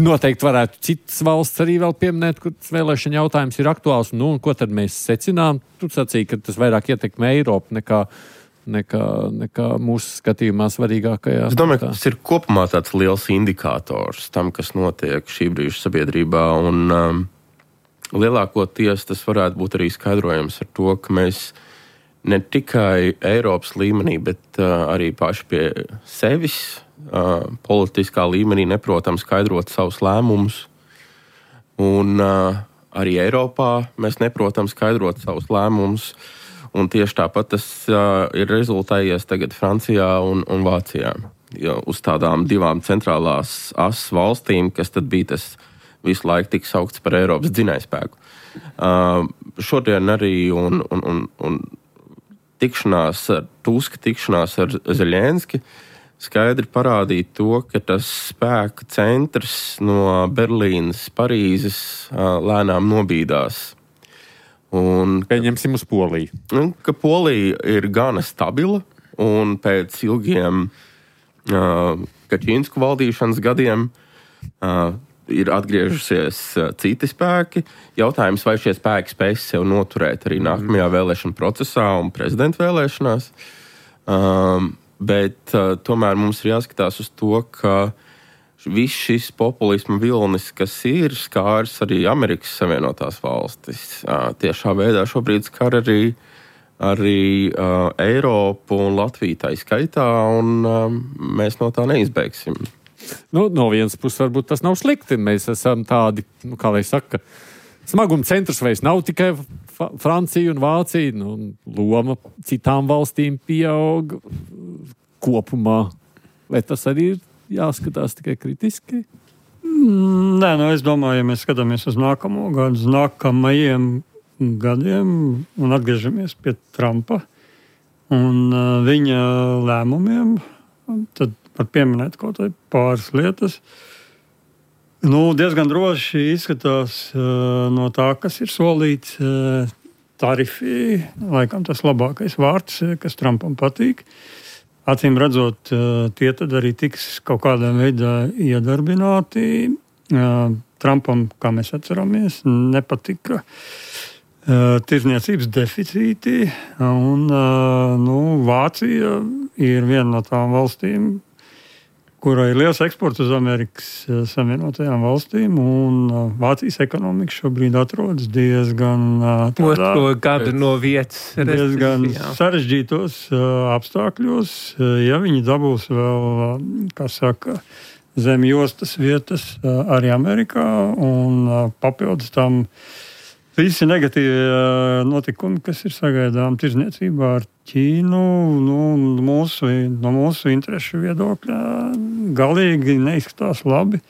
noteikti varētu citas valsts arī vēl pieminēt, kur tas vēlēšana jautājums ir aktuāls. Nu, un ko tad mēs secinām? Tur sacīja, ka tas vairāk ietekmē Eiropu nekā Nekā, nekā mūsu skatījumā svarīgākajā. Es domāju, ka tas ir kopumā tāds liels indikators tam, kas notiek šī brīža sabiedrībā, un um, lielākoties tas varētu būt arī skaidrojams ar to, ka mēs ne tikai Eiropas līmenī, bet uh, arī paši pie sevis uh, politiskā līmenī neprotam skaidrot savus lēmumus, un uh, arī Eiropā mēs neprotam skaidrot savus lēmumus. Un tieši tāpat tas uh, ir rezultējies tagad Francijā un, un Vācijā. Jo uz tādām divām centrālās asas valstīm, kas tad bija tas visu laiku tik saukts par Eiropas dzinējspēku. Uh, šodien arī un, un, un, un tikšanās ar Tuska, tikšanās ar Zeļenski skaidri parādīja to, ka tas spēka centrs no Berlīnas, Parīzes uh, lēnām nobīdās. Un, Pieņemsim uz Poliju. Un, ka Polija ir gana stabila, un pēc ilgiem uh, Kačīnsku valdīšanas gadiem uh, ir atgriežusies uh, citi spēki. Jautājums, vai šie spēki spēs sev noturēt arī nākamajā vēlēšana procesā un prezidenta vēlēšanās. Um, bet uh, tomēr mums ir jāskatās uz to, ka viss šis populisma vilnis, kas ir skārs arī Amerikas Savienotās valstis, tiešā veidā šobrīd skar arī, arī uh, Eiropu un Latviju tā skaitā, un uh, mēs no tā neizbeigsim. Nu, no vienas puses varbūt tas nav slikti. Mēs esam tādi, nu, kā lai saka, smaguma centrs vairs nav tikai Francija un Vācija, nu, loma citām valstīm pieaug kopumā. Vai tas arī ir jāskatās tikai kritiski? Nē, nu es domāju, ja mēs skatāmies uz nākamo gadu, uz nākamajiem gadiem un atgriežamies pie Trumpa un uh, viņa lēmumiem, tad var pieminēt kaut vai pāris lietas. Nu, diezgan droši izskatās uh, no tā, kas ir solīts uh, tarifi, laikam tas labākais vārds, kas Trumpam patīk. Acīm redzot, tie tad arī tiks kaut kādā veidā iedarbināti. Trumpam, kā mēs atceramies, nepatika tirdzniecības deficīti, un nu, Vācija ir viena no tām valstīm, kurai ir liels eksports uz Amerikas Savienotajām valstīm, un Vācijas ekonomika šobrīd atrodas diezgan tādā, otro gadu no vietas diezgan sarežģītos apstākļos. Ja viņi dabūs vēl, kā saka, zem jostas vietas arī Amerikā, un papildus tam visi negatīvi notikumi, kas ir sagaidām tirdzniecībā ar Ķīnu, nu, mūsu, no mūsu interešu viedokļa galīgi neizskatās labi,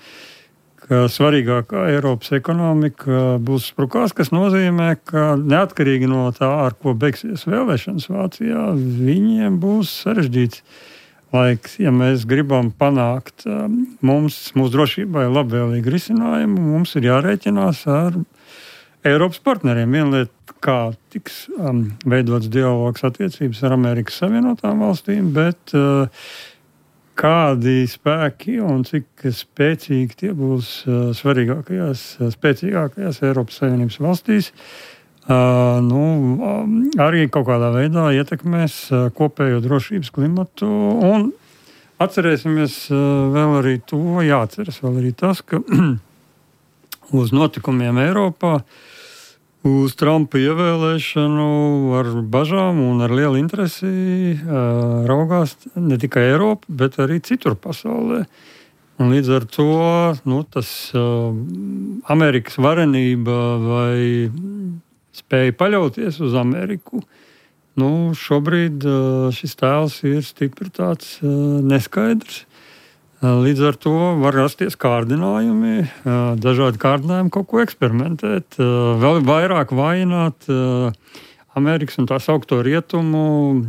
ka svarīgākā Eiropas ekonomika būs sprukās, kas nozīmē, ka neatkarīgi no tā, ar ko beigsies vēlēšanas Vācijā, viņiem būs sarežģīts laiks. Ja mēs gribam panākt mums, mūsu drošībai labvēlīgu risinājumu, mums ir jārēķinās ar Eiropas partneriem. Viena lieta, kā tiks um, veidots dialogs attiecības ar Amerikas Savienotām valstīm, bet uh, kādi spēki un cik spēcīgi tie būs uh, svarīgākajās, spēcīgākajās Eiropas Savienības valstīs, uh, nu, um, arī kaut kādā veidā ietekmēs uh, kopējo drošības klimatu. Un atcerēsimies uh, vēl arī to, jāatceras vēl arī tas, ka uz notikumiem Eiropā, uz Trumpa ievēlēšanu ar bažām un ar lielu interesi uh, raugās ne tikai Eiropa, bet arī citur pasaulē. Un līdz ar to nu, tas uh, Amerikas varenība vai spēja paļauties uz Ameriku, nu, šobrīd uh, šis tēls ir stipri tāds uh, neskaidrs. Līdz ar to var rasties kārdinājumi, dažādi kārdinājumi kaut ko eksperimentēt, vēl vairāk vainot Amerikas un tā saukto rietumu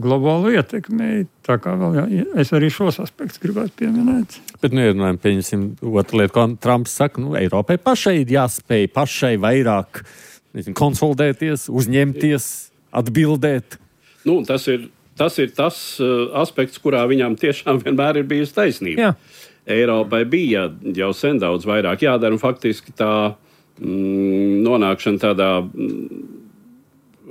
globālu ietekmi. Tā kā vēl jā, es arī šos aspektus gribētu pieminēt. Bet nu ierunājam, pieņemsim otru lietu, ko Trumps saka, nu, Eiropai pašai ir jāspēj pašai vairāk nezinu, konsolidēties, uzņemties, atbildēt. Nu, tas ir Tas ir tas uh, aspekts, kurā viņam tiešām vienmēr ir bijusi taisnība. Jā. Eiropai bija jau sen daudz vairāk jādara, un faktiski tā mm, nonākšana tādā mm,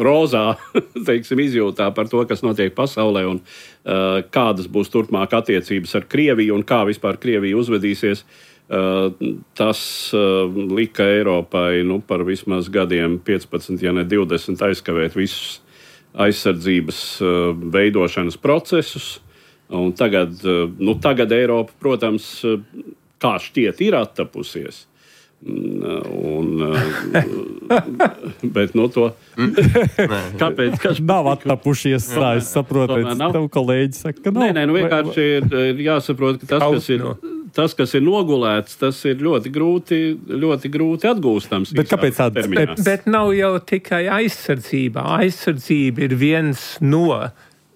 rozā, teiksim, izjūtā par to, kas notiek pasaulē un uh, kādas būs turpmāk attiecības ar Krieviju un kā vispār Krievija uzvedīsies, uh, tas uh, lika Eiropai nu, par vismaz gadiem piecpadsmit, ja ne divdesmit aizkavēt visus aizsardzības uh, veidošanas procesus. Un tagad, uh, nu, tagad Eiropa, protams, uh, kā šķiet, ir attapusies. Un, uh, bet no to... Kāpēc? Kas nav attapušies, tā es saprotu. Tev kolēģi saka, ka nav. Nē, nē, nu vienkārši ir jāsaprot, ka tas, kas ir... Tas, kas ir nogulēts, tas ir ļoti grūti, ļoti grūti atgūstams. Bet kāpēc tāds? Bet, bet nav jau tikai aizsardzība. Aizsardzība ir viens no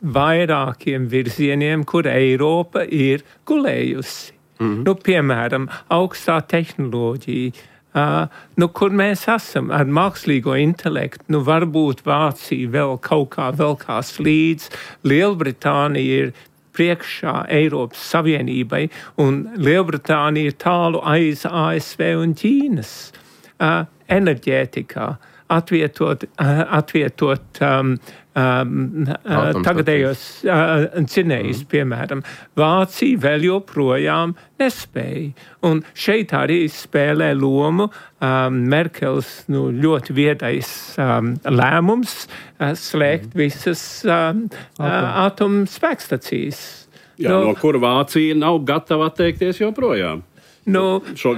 vairākiem virzieniem, kur Eiropa ir gulējusi. Mm-hmm. Nu, piemēram, augstā tehnoloģija, uh, nu, kur mēs esam ar mākslīgo intelektu. Nu, varbūt Vācija vēl kaut kā vēl kā slīdz. Lielbritānija ir priekšā Eiropas Savienībai, un Lielbritānija ir tālu aiz A S V un Ķīnas. Uh, enerģētikā atvietot, uh, atvietot um, um, uh, tagadējos uh, dzinējus, mm. piemēram. Vācija vēl joprojām nespēja. Un šeit arī spēlē lomu um, Merkels nu, ļoti viedais um, lēmums uh, slēgt mm. visas um, uh, atomspēkstacijas. Jā, no, no kur Vācija nav gatava atteikties joprojām. Nu, šo,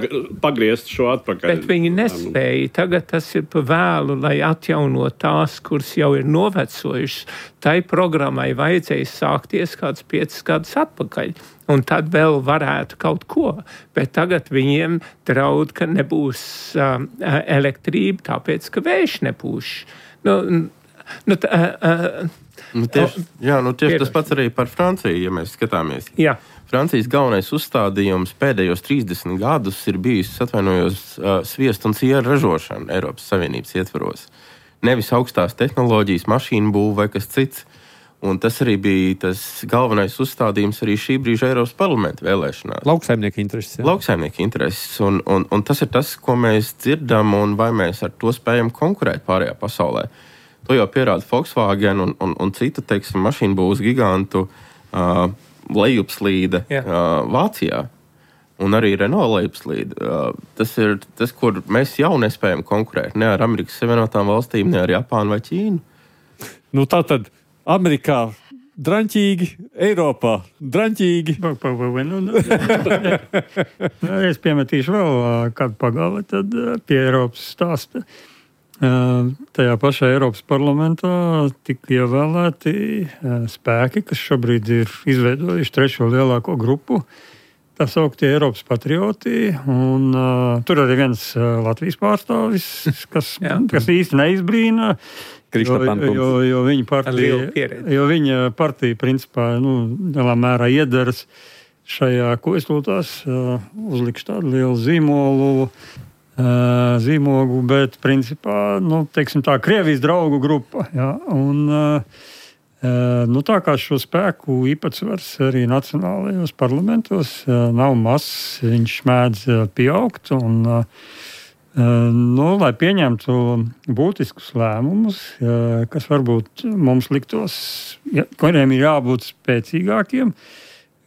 pagriezt šo atpakaļ. Bet viņi nespēja. Tagad tas ir pa vēlu, lai atjaunot tās, kuras jau ir novecojušas. Tai programmai vajadzēja sākties kāds piecas gadus atpakaļ. Un tad vēl varētu kaut ko. Bet tagad viņiem draud, ka nebūs um, elektrība, tāpēc, ka vējš nepūš. Nu, nu, tā, uh, nu, tieši, jā, nu tieši tas pats arī par Franciju, ja mēs skatāmies. Jā. Francijas galvenais uzstādījums pēdējos trīsdesmit gadus ir bijis, atvainojos, sviestu un sieru ražošana Eiropas Savienības ietvaros. Nevis augstās tehnoloģijas, mašīnu būve vai kas cits. Un tas arī bija tas galvenais uzstādījums arī šī brīža Eiropas parlamenta vēlēšanās. Lauksaimnieku intereses. Jā. Lauksaimnieku intereses. Un, un, un tas ir tas, ko mēs dzirdam, un vai mēs ar to spējam konkurēt pārējā pasaulē. To jau pierāda Volkswagen un, un, un citu, teiksim, mašīnu būvs gigantu uh, lejupslīde uh, Vācijā. Un arī Renault lejupslīde. Uh, tas ir tas, kur mēs jau nespējam konkurēt. Ne ar Amerikas Savienotām valstīm, ne ar Japānu vai Ķīnu. Nu tā tad Amerikā draņķīgi, Eiropā draņķīgi. Es piemetīšu vēl kādu pagali, tad pie Eiropas stāsta. Tajā pašā Eiropas parlamentā tika ievēlēti spēki, kas šobrīd ir izveidojuši trešo lielāko grupu. Tā sauktie Eiropas patrioti. Un, uh, tur arī viens uh, Latvijas pārstāvis, kas, kas īsti neizbrīna. Jo, jo, jo, viņa partija, jo viņa partija principā nu, lielā mērā iedaras šajā, ko es lūtās, uh, uzlikšu tādu lielu zīmolu, uh, zīmogu, bet principā, nu, teiksim tā, Krievijas draugu grupa. Ja, un, uh, uh, nu, tā kā šo spēku īpatsvars arī nacionālajos parlamentos uh, nav mazs, viņš mēdz uh, pieaugt un uh, Nu, lai pieņemtu būtiskus lēmumus, kas varbūt mums liktos, ja, kuriem ir jābūt spēcīgākiem,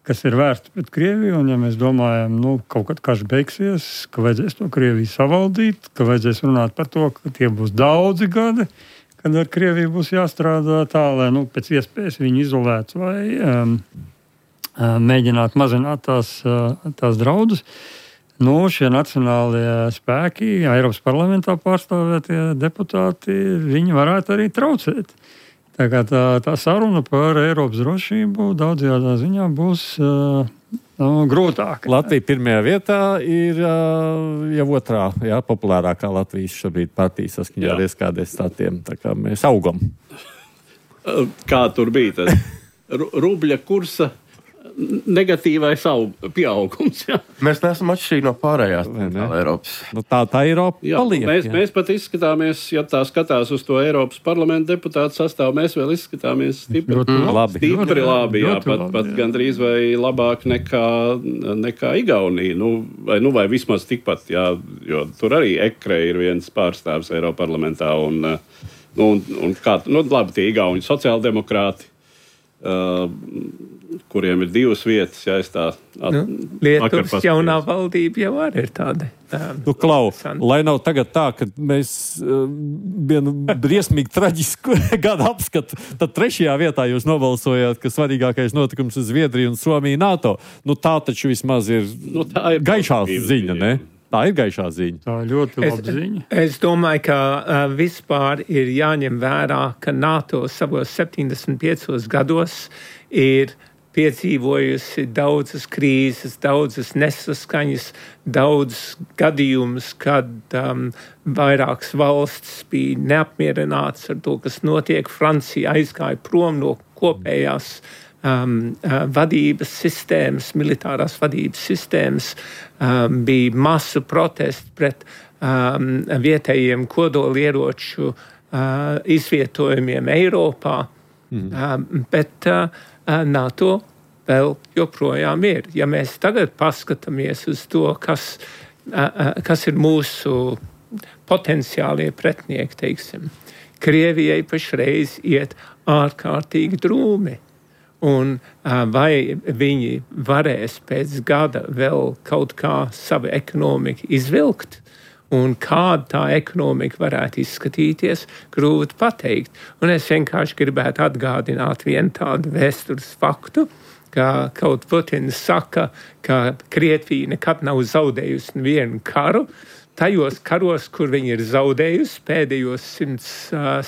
kas ir vērsti pret Krieviju, un ja mēs domājam, nu, kaut kad karš beigsies, ka vajadzēs to Krieviju savaldīt, ka vajadzēs runāt par to, ka tie būs daudzi gadi, kad ar Krieviju būs jāstrādā tā, lai nu, pēc iespējas viņu izolētu vai um, mēģināt mazināt tās, tās draudus. Nu, šie nacionālie spēki, Eiropas parlamentā pārstāvētie deputāti, viņi varētu arī traucēt. Tā kā tā, tā saruna par Eiropas drošību daudzajā ziņā būs uh, nu, grūtāka. Latvija pirmajā vietā ir uh, jau otrā, jā, populārākā Latvijas šobrīd partija saskaņā ar ieskādēs statiem. Tā kā mēs augam. Kā tur bija tas rubļa kursa negatīvais pieaugums. Jā. Mēs neesam atšķirīgi no pārējās ne? Eiropas. Nu, tā tā Eiropa jā, paliek. Mēs, mēs pat izskatāmies, ja tā skatās uz to Eiropas parlamenta deputātu sastāvu, mēs vēl izskatāmies stipri ļoti labi. Stipri labi, jā, ļoti pat, labi, pat jā. gandrīz vai labāk nekā, nekā Igaunija. Nu vai, nu, vai vismaz tikpat, jā, jo tur arī Ekre ir viens pārstāvs Eiropas parlamentā. Un, nu, un, un kā, nu, labi, tie Igauni sociāldemokrāti, Uh, kuriem ir divas vietas, ja es tā at, nu, Lietuvas jaunā valdība jau arī ir tāda. Um, nu, Klau, lai nav tagad tā, ka mēs uh, vienu briesmīgi traģisku gadu apskatu, tad trešajā vietā jūs nobalsojāt, ka svarīgākais notikums ir Zviedrija un Somija NATO. Nu, tā taču vismaz ir, nu, tā ir gaišā ziņa, ne? Tā ir gaišā ziņa. Tā ir ļoti laba es, ziņa. Es domāju, ka uh, vispār ir jāņem vērā, ka NATO savos septiņdesmit piecos gados ir piedzīvojusi daudzas krīzes, daudzas nesaskaņas, daudzas gadījumus, kad um, vairākas valstis bija neapmierināts ar to, kas notiek. Francija aizgāja prom no kopējās Um, uh, vadības sistēmas, militārās vadības sistēmas, um, bija masu protesti pret um, vietējiem kodolieroču uh, izvietojumiem Eiropā, mm. um, bet uh, NATO vēl joprojām ir. Ja mēs tagad paskatāmies uz to, kas, uh, uh, kas ir mūsu potenciālie pretinieki, teiksim, Krievijai pašreiz iet ārkārtīgi drūmi. Un vai viņi varēs pēc gada vēl kaut kā savu ekonomiku izvilkt, un kāda tā ekonomika varētu izskatīties, grūti pateikt. Un es vienkārši gribētu atgādināt vienu tādu vēstures faktu, ka kaut Putins saka, ka Krievija nekad nav zaudējusi nevienu karu. Tajos karos, kur viņi ir zaudējusi pēdējos simt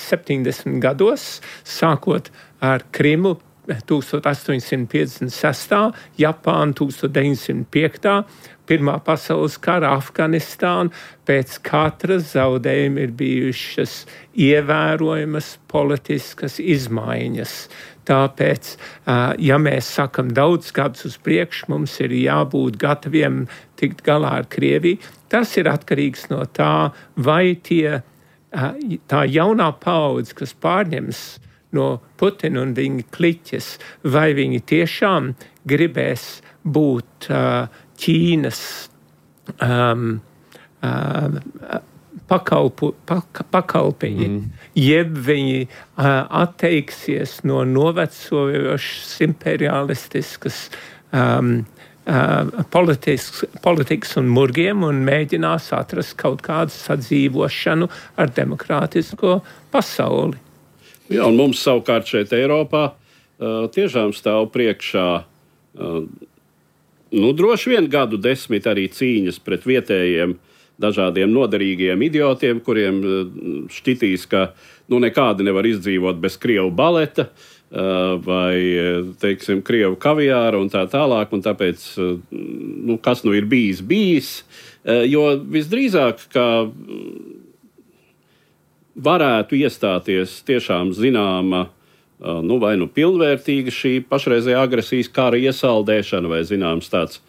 septiņdesmit gados, sākot ar Krimu, astoņsimt piecdesmit sestā, Japāna deviņsimt piekta, Pirmā pasaules kara, Afganistāna, pēc katras zaudējuma ir bijušas ievērojamas politiskas izmaiņas. Tāpēc, ja mēs sakam daudz gadus uz priekšu, mums ir jābūt gataviem tikt galā ar Krieviju. Tas ir atkarīgs no tā, vai tie, tā jaunā paudze, kas pārņems no Putina un viņa kliķes, vai viņi tiešām gribēs būt uh, Ķīnas um, uh, pakalpu, pak, pakalpiņi, mm. jeb viņi uh, atteiksies no novecojošas imperialistiskas um, uh, politikas, politikas un murgiem un mēģinās atrast kaut kādu sadzīvošanu ar demokrātisko pasauli. Jā, un mums savukārt šeit Eiropā uh, tiešām stāv priekšā uh, nu, droši vien gadu desmit arī cīņas pret vietējiem dažādiem noderīgiem idiotiem, kuriem šķitīs, ka nu, nekādi nevar izdzīvot bez krievu baleta vai, teiksim, krievu kaviāra un tā tālāk, un tāpēc, nu, kas nu ir bijis, bijis, jo visdrīzāk, ka varētu iestāties tiešām zināma, nu, vai nu pilnvērtīga šī pašreizējā agresijas kara iesaldēšana, vai zināms tāds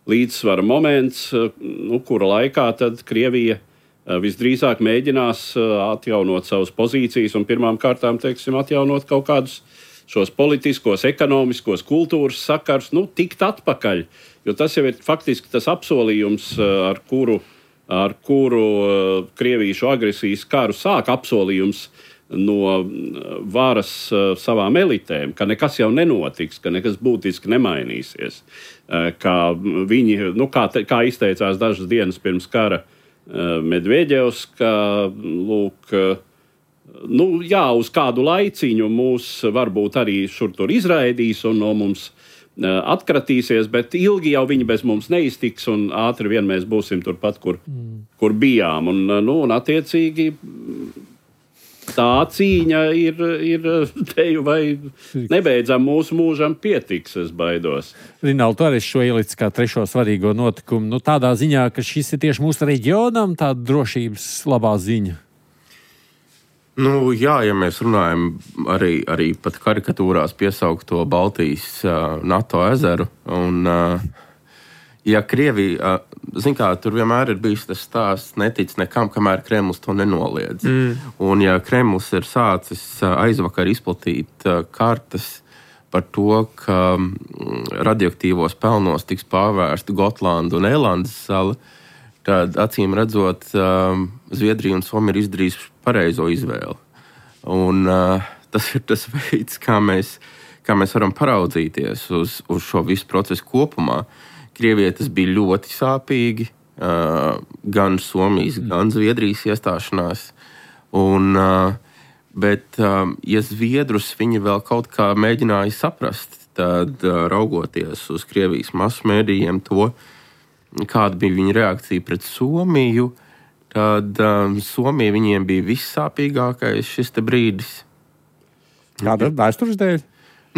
līdzsvara moments, nu, kura laikā tad Krievija visdrīzāk mēģinās atjaunot savas pozīcijas un pirmām kārtām, teiksim, atjaunot kaut kādus šos politiskos, ekonomiskos, kultūras sakars, nu, tikt atpakaļ. Jo tas jau ir faktiski tas apsolījums, ar kuru, ar kuru Krievija šo agresijas karu sāk, apsolījums no varas savām elitēm, ka nekas jau nenotiks, ka nekas būtiski nemainīsies. Kā viņi, nu, kā, te, kā izteicās dažas dienas pirms kara Medvedevs, ka, lūk, nu, jā, uz kādu laiciņu mūs varbūt arī šur tur izraidīs un no mums atkratīsies, bet ilgi jau viņi bez mums neiztiks un ātri vien mēs būsim turpat, kur, mm. kur bijām. Un, nu, un attiecīgi tā cīņa ir, ir teju vai nebeidzam mūsu mūžam pietiks, es baidos. Rinaldi, tu arī šo ielic kā trešo svarīgo notikumu. Nu, tādā ziņā, ka šis ir tieši mūsu reģionam tāda drošības labā ziņa. Nu, jā, ja mēs runājam arī, arī pat karikatūrās piesaukt to Baltijas uh, NATO ezeru un uh, ja Krievija, zin kā, tur vienmēr ir bijis tas stāsts, netic nekam, kamēr Kremlis to nenoliedz. Mm. Un ja Kremlis ir sācis aizvakar izplatīt kartas par to, ka radioaktīvos pelnos tiks pārvērsta Gotlanda un Eilandes sala, tad acīm redzot, Zviedrija un Somija ir izdarījuši pareizo izvēli. Un tas ir tas veids, kā mēs, kā mēs varam paraudzīties uz, uz šo visu procesu kopumā. Krievijai tas bija ļoti sāpīgi, uh, gan Somijas, gan Zviedrijas iestāšanās. Un, uh, bet, uh, ja Zviedrus viņi vēl kaut kā mēģināja saprast, tad uh, raugoties uz Krievijas masu mēdījiem to, kāda bija viņa reakcija pret Somiju, tad um, Somija viņiem bija vissāpīgākais šis te brīdis. Kāda vēstures dēļ?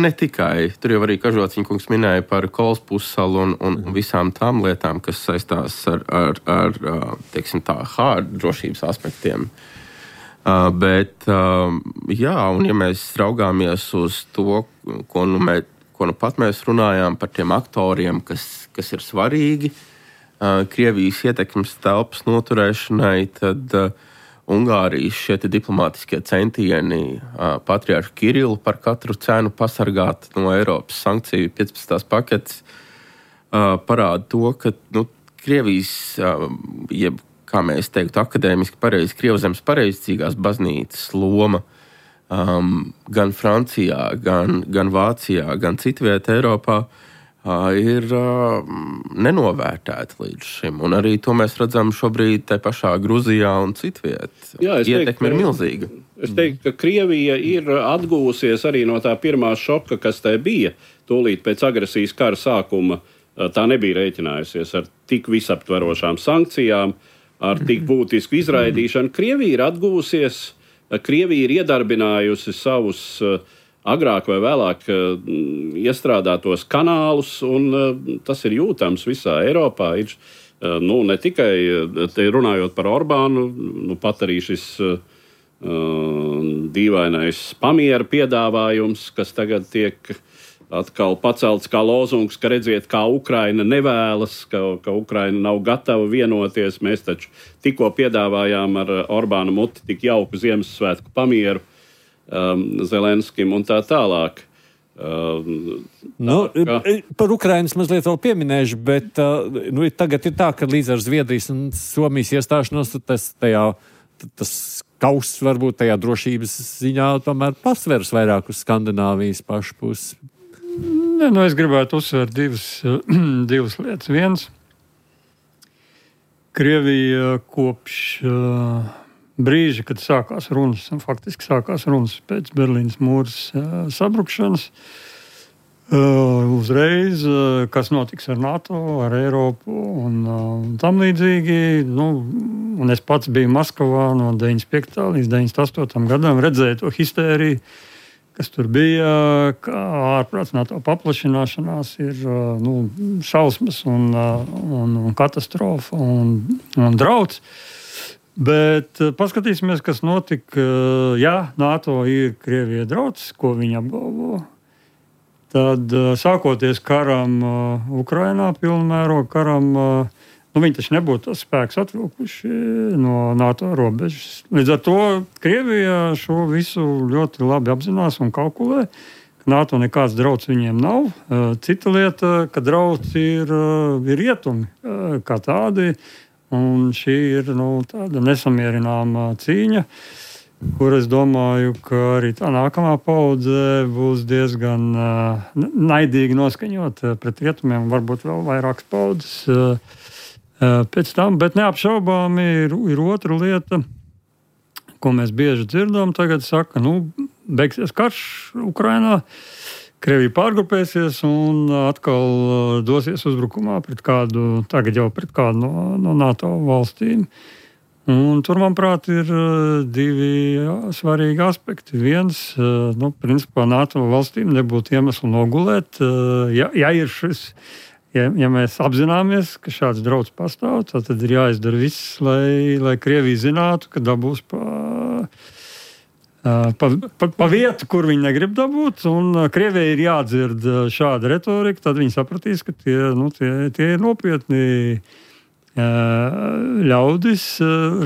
Ne tikai. Tur jau arī Kažociņkungs minēja par Kols pussalu un, un visām tām lietām, kas saistās ar, ar, ar teiksim tā, hard drošības aspektiem. Uh, bet, uh, jā, un ja mēs raugāmies uz to, ko nu, mē, ko nu pat mēs runājām par tiem aktoriem, kas, kas ir svarīgi uh, Krievijas ietekmes telpas noturēšanai, tad uh, Ungārijas šie diplomātiskie centieni uh, patriarhu Kirilu par katru cenu pasargāt no Eiropas sankciju piecpadsmitās paketes uh, parāda to, ka nu, Krievijas, uh, jeb, kā mēs teiktu, akadēmiski pareizi, Krievzemes pareizcīgās baznīcas loma um, gan Francijā, gan, gan Vācijā, gan citvietā Eiropā uh, ir uh, nenovērtēta līdz šim. Un arī to mēs redzam šobrīd te pašā Gruzijā un citviet. Jā, ietekme ir milzīga. Es teiktu, ka Krievija ir atgūsies arī no tā pirmā šoka, kas tai bija tūlīt pēc agresijas kara sākuma. Tā nebija rēķinājusies ar tik visaptverošām sankcijām, ar tik būtisku izraidīšanu. Krievija ir atgūsies, Krievija ir iedarbinājusi savus agrāk vai vēlāk iestrādātos kanālus, un tas ir jūtams visā Eiropā. Ir, nu, ne tikai te runājot par Orbānu, nu, pat arī šis uh, dīvainais pamiera piedāvājums, kas tagad tiek atkal pacelts kā lozungs, ka redziet, kā Ukraina nevēlas, ka, ka Ukraina nav gatava vienoties. Mēs taču tikko piedāvājām ar Orbāna muti tik jauku Ziemassvētku pamieru. um, Zelenskim un tā tālāk. Uh, nu, kā... Par Ukrainas mazliet vēl pieminēšu, bet uh, nu, tagad ir tā, ka līdz ar Zviedrijas un Somijas iestāšanos tas, tajā, tas kauss varbūt tajā drošības ziņā tomēr pasveras vairāk uz Skandināvijas pašu pusi. Ne, nu, es gribētu uzsvērt divas, divas lietas. Viens, Krievija kopš uh, brīža, kad sākās runas, un faktiski sākās runas pēc Berlīnas mūras uh, sabrukšanas, uh, uzreiz, uh, kas notiks ar NATO, ar Eiropu un uh, tam līdzīgi. Nu, un es pats biju Maskavā no deviņdesmit piektā līdz deviņdesmit astotam gadam, redzēju to histēriju, kas tur bija, kā ārprāts NATO paplašināšanās ir nu, šausmas un, un, un katastrofa un, un drauds. Bet paskatīsimies, kas notika. Ja NATO ir Krievija drauds, ko viņi apgalvo, tad sākoties karam Ukrainā, pilnmēroga karam, nu, viņi taču nebūtu tos spēkus atvilkuši no NATO robežas. Līdz ar to Krievija šo visu ļoti labi apzinās un kalkulē, ka NATO nekāds drauds viņiem nav. Cita lieta, ka drauds ir, ir rietumi kā tādi, un šī ir nu, tāda nesamierināma cīņa, kur es domāju, ka arī tā nākamā paudze būs diezgan naidīgi noskaņot pret rietumiem, varbūt vēl vairākas paudzes pēc tam, bet neapšaubāmi ir, ir otra lieta, ko mēs bieži dzirdam. Tagad saka, nu, beigsies karš Ukrainā, Krievija pārgrupēsies un atkal dosies uzbrukumā pret kādu, tagad jau pret kādu no, no NATO valstīm. Un tur, manuprāt, ir divi svarīgi aspekti. Viens, nu, principā NATO valstīm nebūtu iemeslu nogulēt, ja, ja ir šis Ja, ja mēs apzināmies, ka šāds drauds pastāv, tad ir jāizdara viss, lai, lai Krievija zinātu, ka dabūs pa, pa, pa, pa vietu, kur viņi negrib dabūt. Un Krievijai ir jādzird šāda retorika, tad viņi sapratīs, ka tie, nu, tie, tie ir nopietni ļaudis,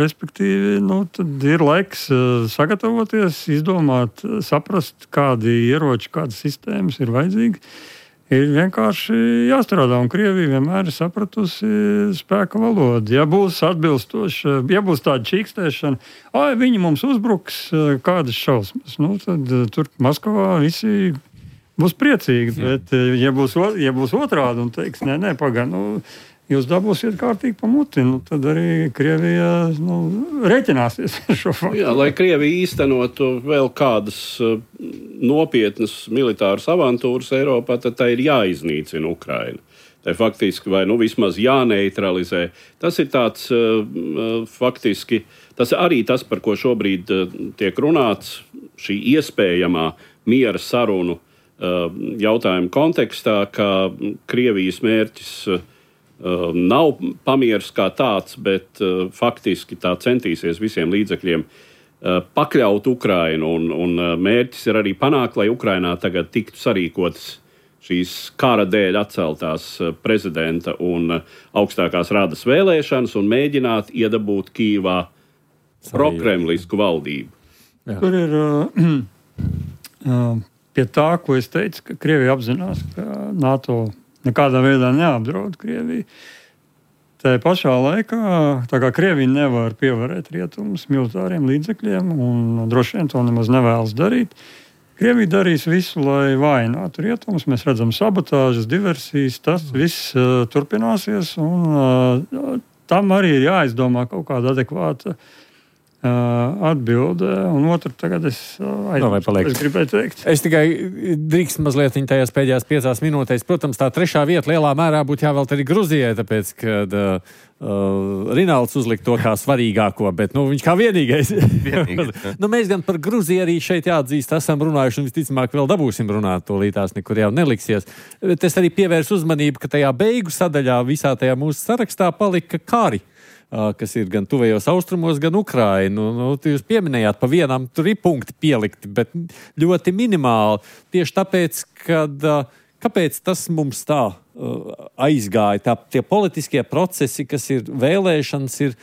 respektīvi, nu, tad ir laiks sagatavoties, izdomāt, saprast, kādi ieroči, kādas sistēmas ir vajadzīgi. Ir vienkārši jāstrādā, un Krievija vienmēr ir sapratusi spēka valodu. Ja būs atbilstoši, ja būs tāda čīkstēšana, ai, viņi mums uzbruks, kādas šausmas, nu, tad tur Maskavā visi būs priecīgi. Bet, ja būs, ja būs otrādi un teiks, nē, nē, pagaid, nu, jūs dabūsiet kārtīgi pa muti, nu, tad arī Krievija nu, rēķināsies ar šo faktu. Jā, lai Krievija īstenotu vēl kādas uh, nopietnas militāras avantūras Eiropā, tad tā ir jāiznīcina Ukraina. Tā ir faktiski vai nu vismaz jāneutralizē. Tas ir tāds uh, faktiski, tas arī tas, par ko šobrīd uh, tiek runāts, šī iespējamā miera sarunu uh, jautājuma kontekstā, ka Krievijas mērķis uh, nav pamieris kā tāds, bet uh, faktiski tā centīsies visiem līdzekļiem uh, pakļaut Ukrainu, un, un uh, mērķis ir arī panākt, lai Ukrainā tagad tiktu sarīkotas šīs kara dēļ atceltās uh, prezidenta un uh, augstākās radas vēlēšanas un mēģināt iedabūt Kīvā prokremlisku valdību. Jā. Tur ir uh, uh, pie tā, ko es teicu, ka Krievija apzinās, ka NATO nekādā veidā neapdraud Krieviju. Tā pašā laikā, tā kā Krievija nevar pievarēt rietumus militāriem līdzekļiem, un droši vien to nemaz nevēlas darīt, Krievija darīs visu, lai vājinātu rietumus. Mēs redzam sabotāžas, diversijas, tas viss uh, turpināsies, un uh, tam arī ir jāizdomā kaut kāda adekvāta atbildē, un otru tagad es, aizmirstu, no, es gribēju teikt. Es tikai drīkst mazliet viņa tajās pēdējās piecās minūtēs. Protams, tā trešā vieta lielā mērā būtu jāvēlt arī Gruzijai, tāpēc, kad uh, Rinalds uzlika to kā svarīgāko, bet nu, viņš kā vienīgais. vienīgais nu, mēs gan par Gruziju arī šeit jāatzīst, esam runājuši, un visticamāk vēl dabūsim runāt, to līdz tās nekur jau neliksies. Bet es arī pievērsu uzmanību, ka tajā beigu sadaļā visā tajā mūsu sarakstā palika kari, kas ir gan tuvējos austrumos, gan Ukrainu. Nu, jūs pieminējāt, pa vienam tur ir punkti pielikti, bet ļoti minimāli. Tieši tāpēc, kad, kāpēc tas mums tā aizgāja, tā, tie politiskie procesi, kas ir vēlēšanas, ir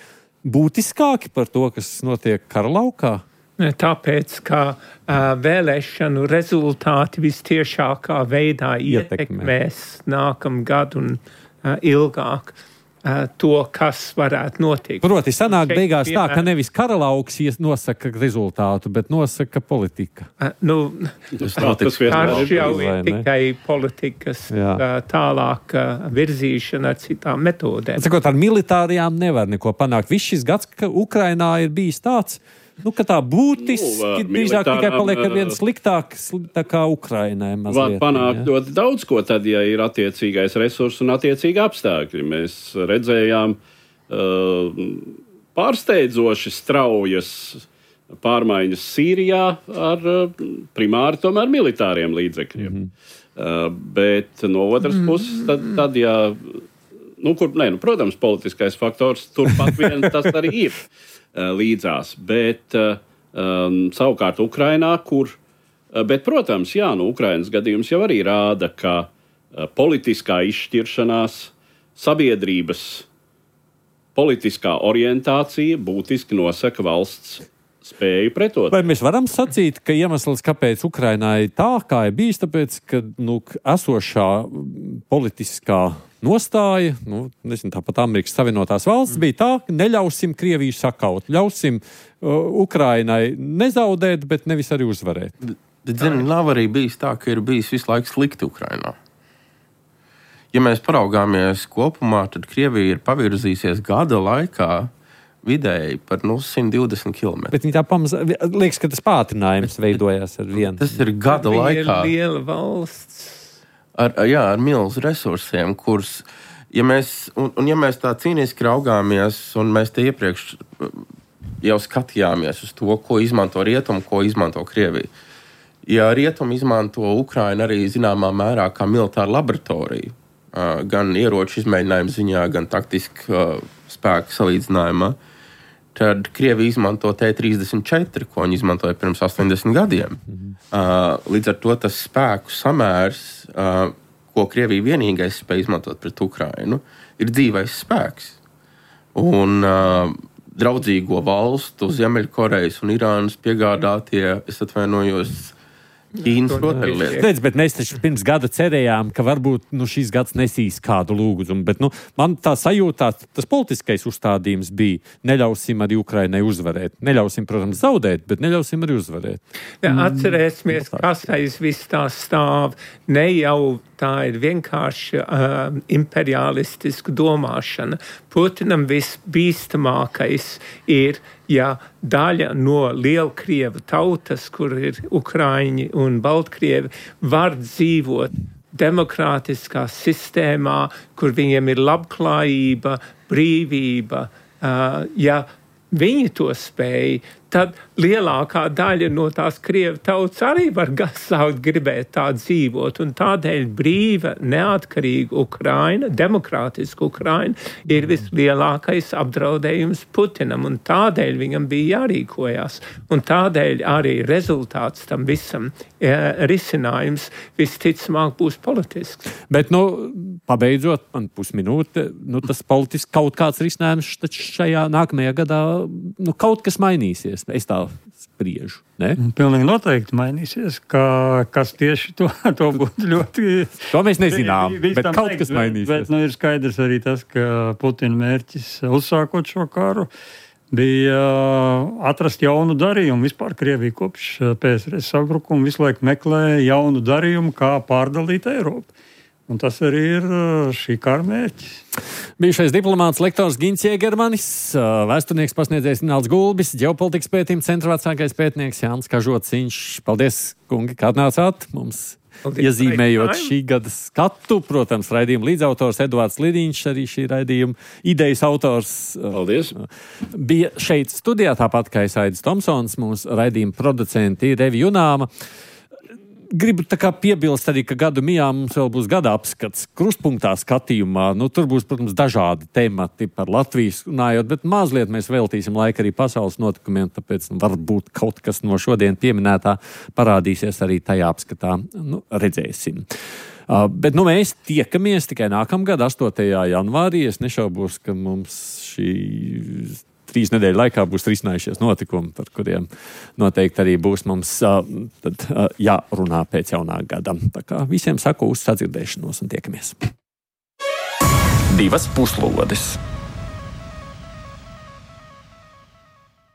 būtiskāki par to, kas notiek kara laukā? Tāpēc, ka uh, vēlēšanu rezultāti vistiešākā veidā ietekmēs nākamgad un uh, ilgāk uh, to, kas varētu notikt. Proti, sanāk beigās tā, ka nevis karalauks nosaka rezultātu, bet nosaka politika. Uh, nu, tas jau ir tikai politikas uh, tālāk uh, virzīšana ar citām metodēm. Sakot, ar militārajām nevar neko panākt. Viss šis gads, ka Ukrainā ir bijis tāds, nu, ka tā būtiski nu, drīzāk tikai paliek ar vienu sliktāku, tā kā Ukrainai mazliet. Var panākt ja. ļoti daudz ko tad, ja ir attiecīgais resurs un attiecīgi apstākļi. Mēs redzējām uh, pārsteidzoši straujas pārmaiņas Sīrijā ar uh, primāri tomēr militāriem līdzekļiem. Mm-hmm. Uh, bet no otras mm-hmm. puses, tad, tad ja, nu, kur, ne, nu, protams, politiskais faktors turpat vien tas arī ir. Līdzās, bet um, savukārt Ukrainā, kur, bet, protams, jā, nu, Ukrainas gadījums jau arī rāda, ka uh, politiskā izšķiršanās, sabiedrības politiskā orientācija būtiski nosaka valsts spēju pretot. Vai mēs varam sacīt, ka iemesls, kāpēc Ukrainā ir tā, kā ir bijis, tāpēc, ka nu, esošā politiskā nostāja, nu, nezinu, tāpat Amerikas Savienotās valsts bija tā, ka neļausim Krieviju sakaut, ļausim uh, Ukrainai nezaudēt, bet nevis arī uzvarēt. Bet, zini, nav arī bijis tā, ka ir bijis visu laiku slikti Ukrainā. Ja mēs paraugāmies kopumā, tad Krievija ir pavirzīsies gada laikā vidēji par nu, simt divdesmit kilometrus. Bet viņi tā pamaz... Liekas, ka tas pātrinājums veidojās ar vienu. Tas ir gada tā laikā. Ir liela valsts. Ar, jā, ar milzu resursiem, kurus, ja mēs, un, un ja mēs tā cīniski raugāmies, un mēs te iepriekš jau skatījāmies uz to, ko izmanto Rietumi, ko izmanto Krievija. Ja Rietumi izmanto Ukrainu arī zināmā mērā kā militāru laboratoriju, gan ieroču izmēģinājumu ziņā, gan taktisku spēku salīdzinājumā, tad Krievija izmanto T trīsdesmit četri, ko viņi izmantoja pirms astoņdesmit gadiem. Mm-hmm. Uh, līdz ar to tas spēku samērs, uh, ko Krievija vienīgais spēj izmantot pret Ukrainu, ir dzīvais spēks. Un uh, draudzīgo valstu, Ziemeļkorejas un Irānas piegādātie, es atvainojos, Ķīnas rotaļlietas. Bet mēs taču pirms gada cerējām, ka varbūt nu, šīs gads nesīs kādu lūgumu. Bet nu, man tā sajūtā, tas politiskais uzstādījums bija, neļausim arī Ukrainai uzvarēt. Neļausim, protams, zaudēt, bet neļausim arī uzvarēt. Ja, atcerēsimies, kas aiz viss tā stāv. Ne jau tā ir vienkārši uh, imperialistiska domāšana. Putinam visbīstamākais ir, ja daļa no Lielkrievu tautas, kur ir Ukraiņi un Baltkrievi, var dzīvot demokrātiskā sistēmā, kur viņiem ir labklājība, brīvība. Uh, ja viņi to spēj, tad lielākā daļa no tās Krievu tautas arī var sākt gribēt tā dzīvot. Un tādēļ brīva, neatkarīga Ukraina, demokrātiska Ukraina ir vislielākais apdraudējums Putinam. Un tādēļ viņam bija jārīkojās. Un tādēļ arī rezultāts tam visam e, risinājums visticamāk būs politisks. Bet, nu, pabeidzot, man pusminūte, nu, tas politisks kaut kāds risinājums taču šajā nākamajā gadā, nu, kaut kas mainīsies. Es tā spriežu. Ne? Pilnīgi noteikti mainīsies, ka, kas tieši to, to būtu ļoti... To mēs nezinām, bet kaut kas mainīsies. Bet, bet nu, ir skaidrs arī tas, ka Putina mērķis uzsākot šo karu bija atrast jaunu darījumu. Vispār Krievija kopš P S R S sabrukuma visu laiku meklē jaunu darījumu, kā pārdalīt Eiropu. Un tas arī ir šī kara mērķis. Bijušais diplomāts, lektors Gins Jēgermanis, vēsturnieks, pasniedzējs Nāls Gulbis, ģeopolitikas pētījuma centra vecākais pētnieks Jānis Kažociņš. Paldies, kungi, kā atnācāt mums, paldies, iezīmējot šī gada skatu. Protams, raidījuma līdzautors Eduards Lidiņš, arī šī raidījuma idejas autors. Paldies. Bija šeit studijā, tāpat kā Aidis Tomsons, mūsu raidījuma producenti Revi Junāma. Gribu tā kā piebilst arī, ka gadu mijā mums vēl būs gada apskats krustpunktā skatījumā. Nu, tur būs, protams, dažādi temati par Latvijas runājot, bet mazliet mēs veltīsim laiku arī pasaules notikumiem, tāpēc nu, varbūt kaut kas no šodien pieminētā parādīsies arī tajā apskatā. Nu, redzēsim. Uh, bet nu, mēs tiekamies tikai nākamgad, astotajā janvārī. Es nešaubos, ka mums šī trīs nedēļu laikā būs risinājušies notikumi, par kuriem noteikti arī būs mums uh, tad, uh, jārunā pēc jaunā gada. Tā kā visiem saku uz sadzirdēšanos un tiekamies. Divas puslodes.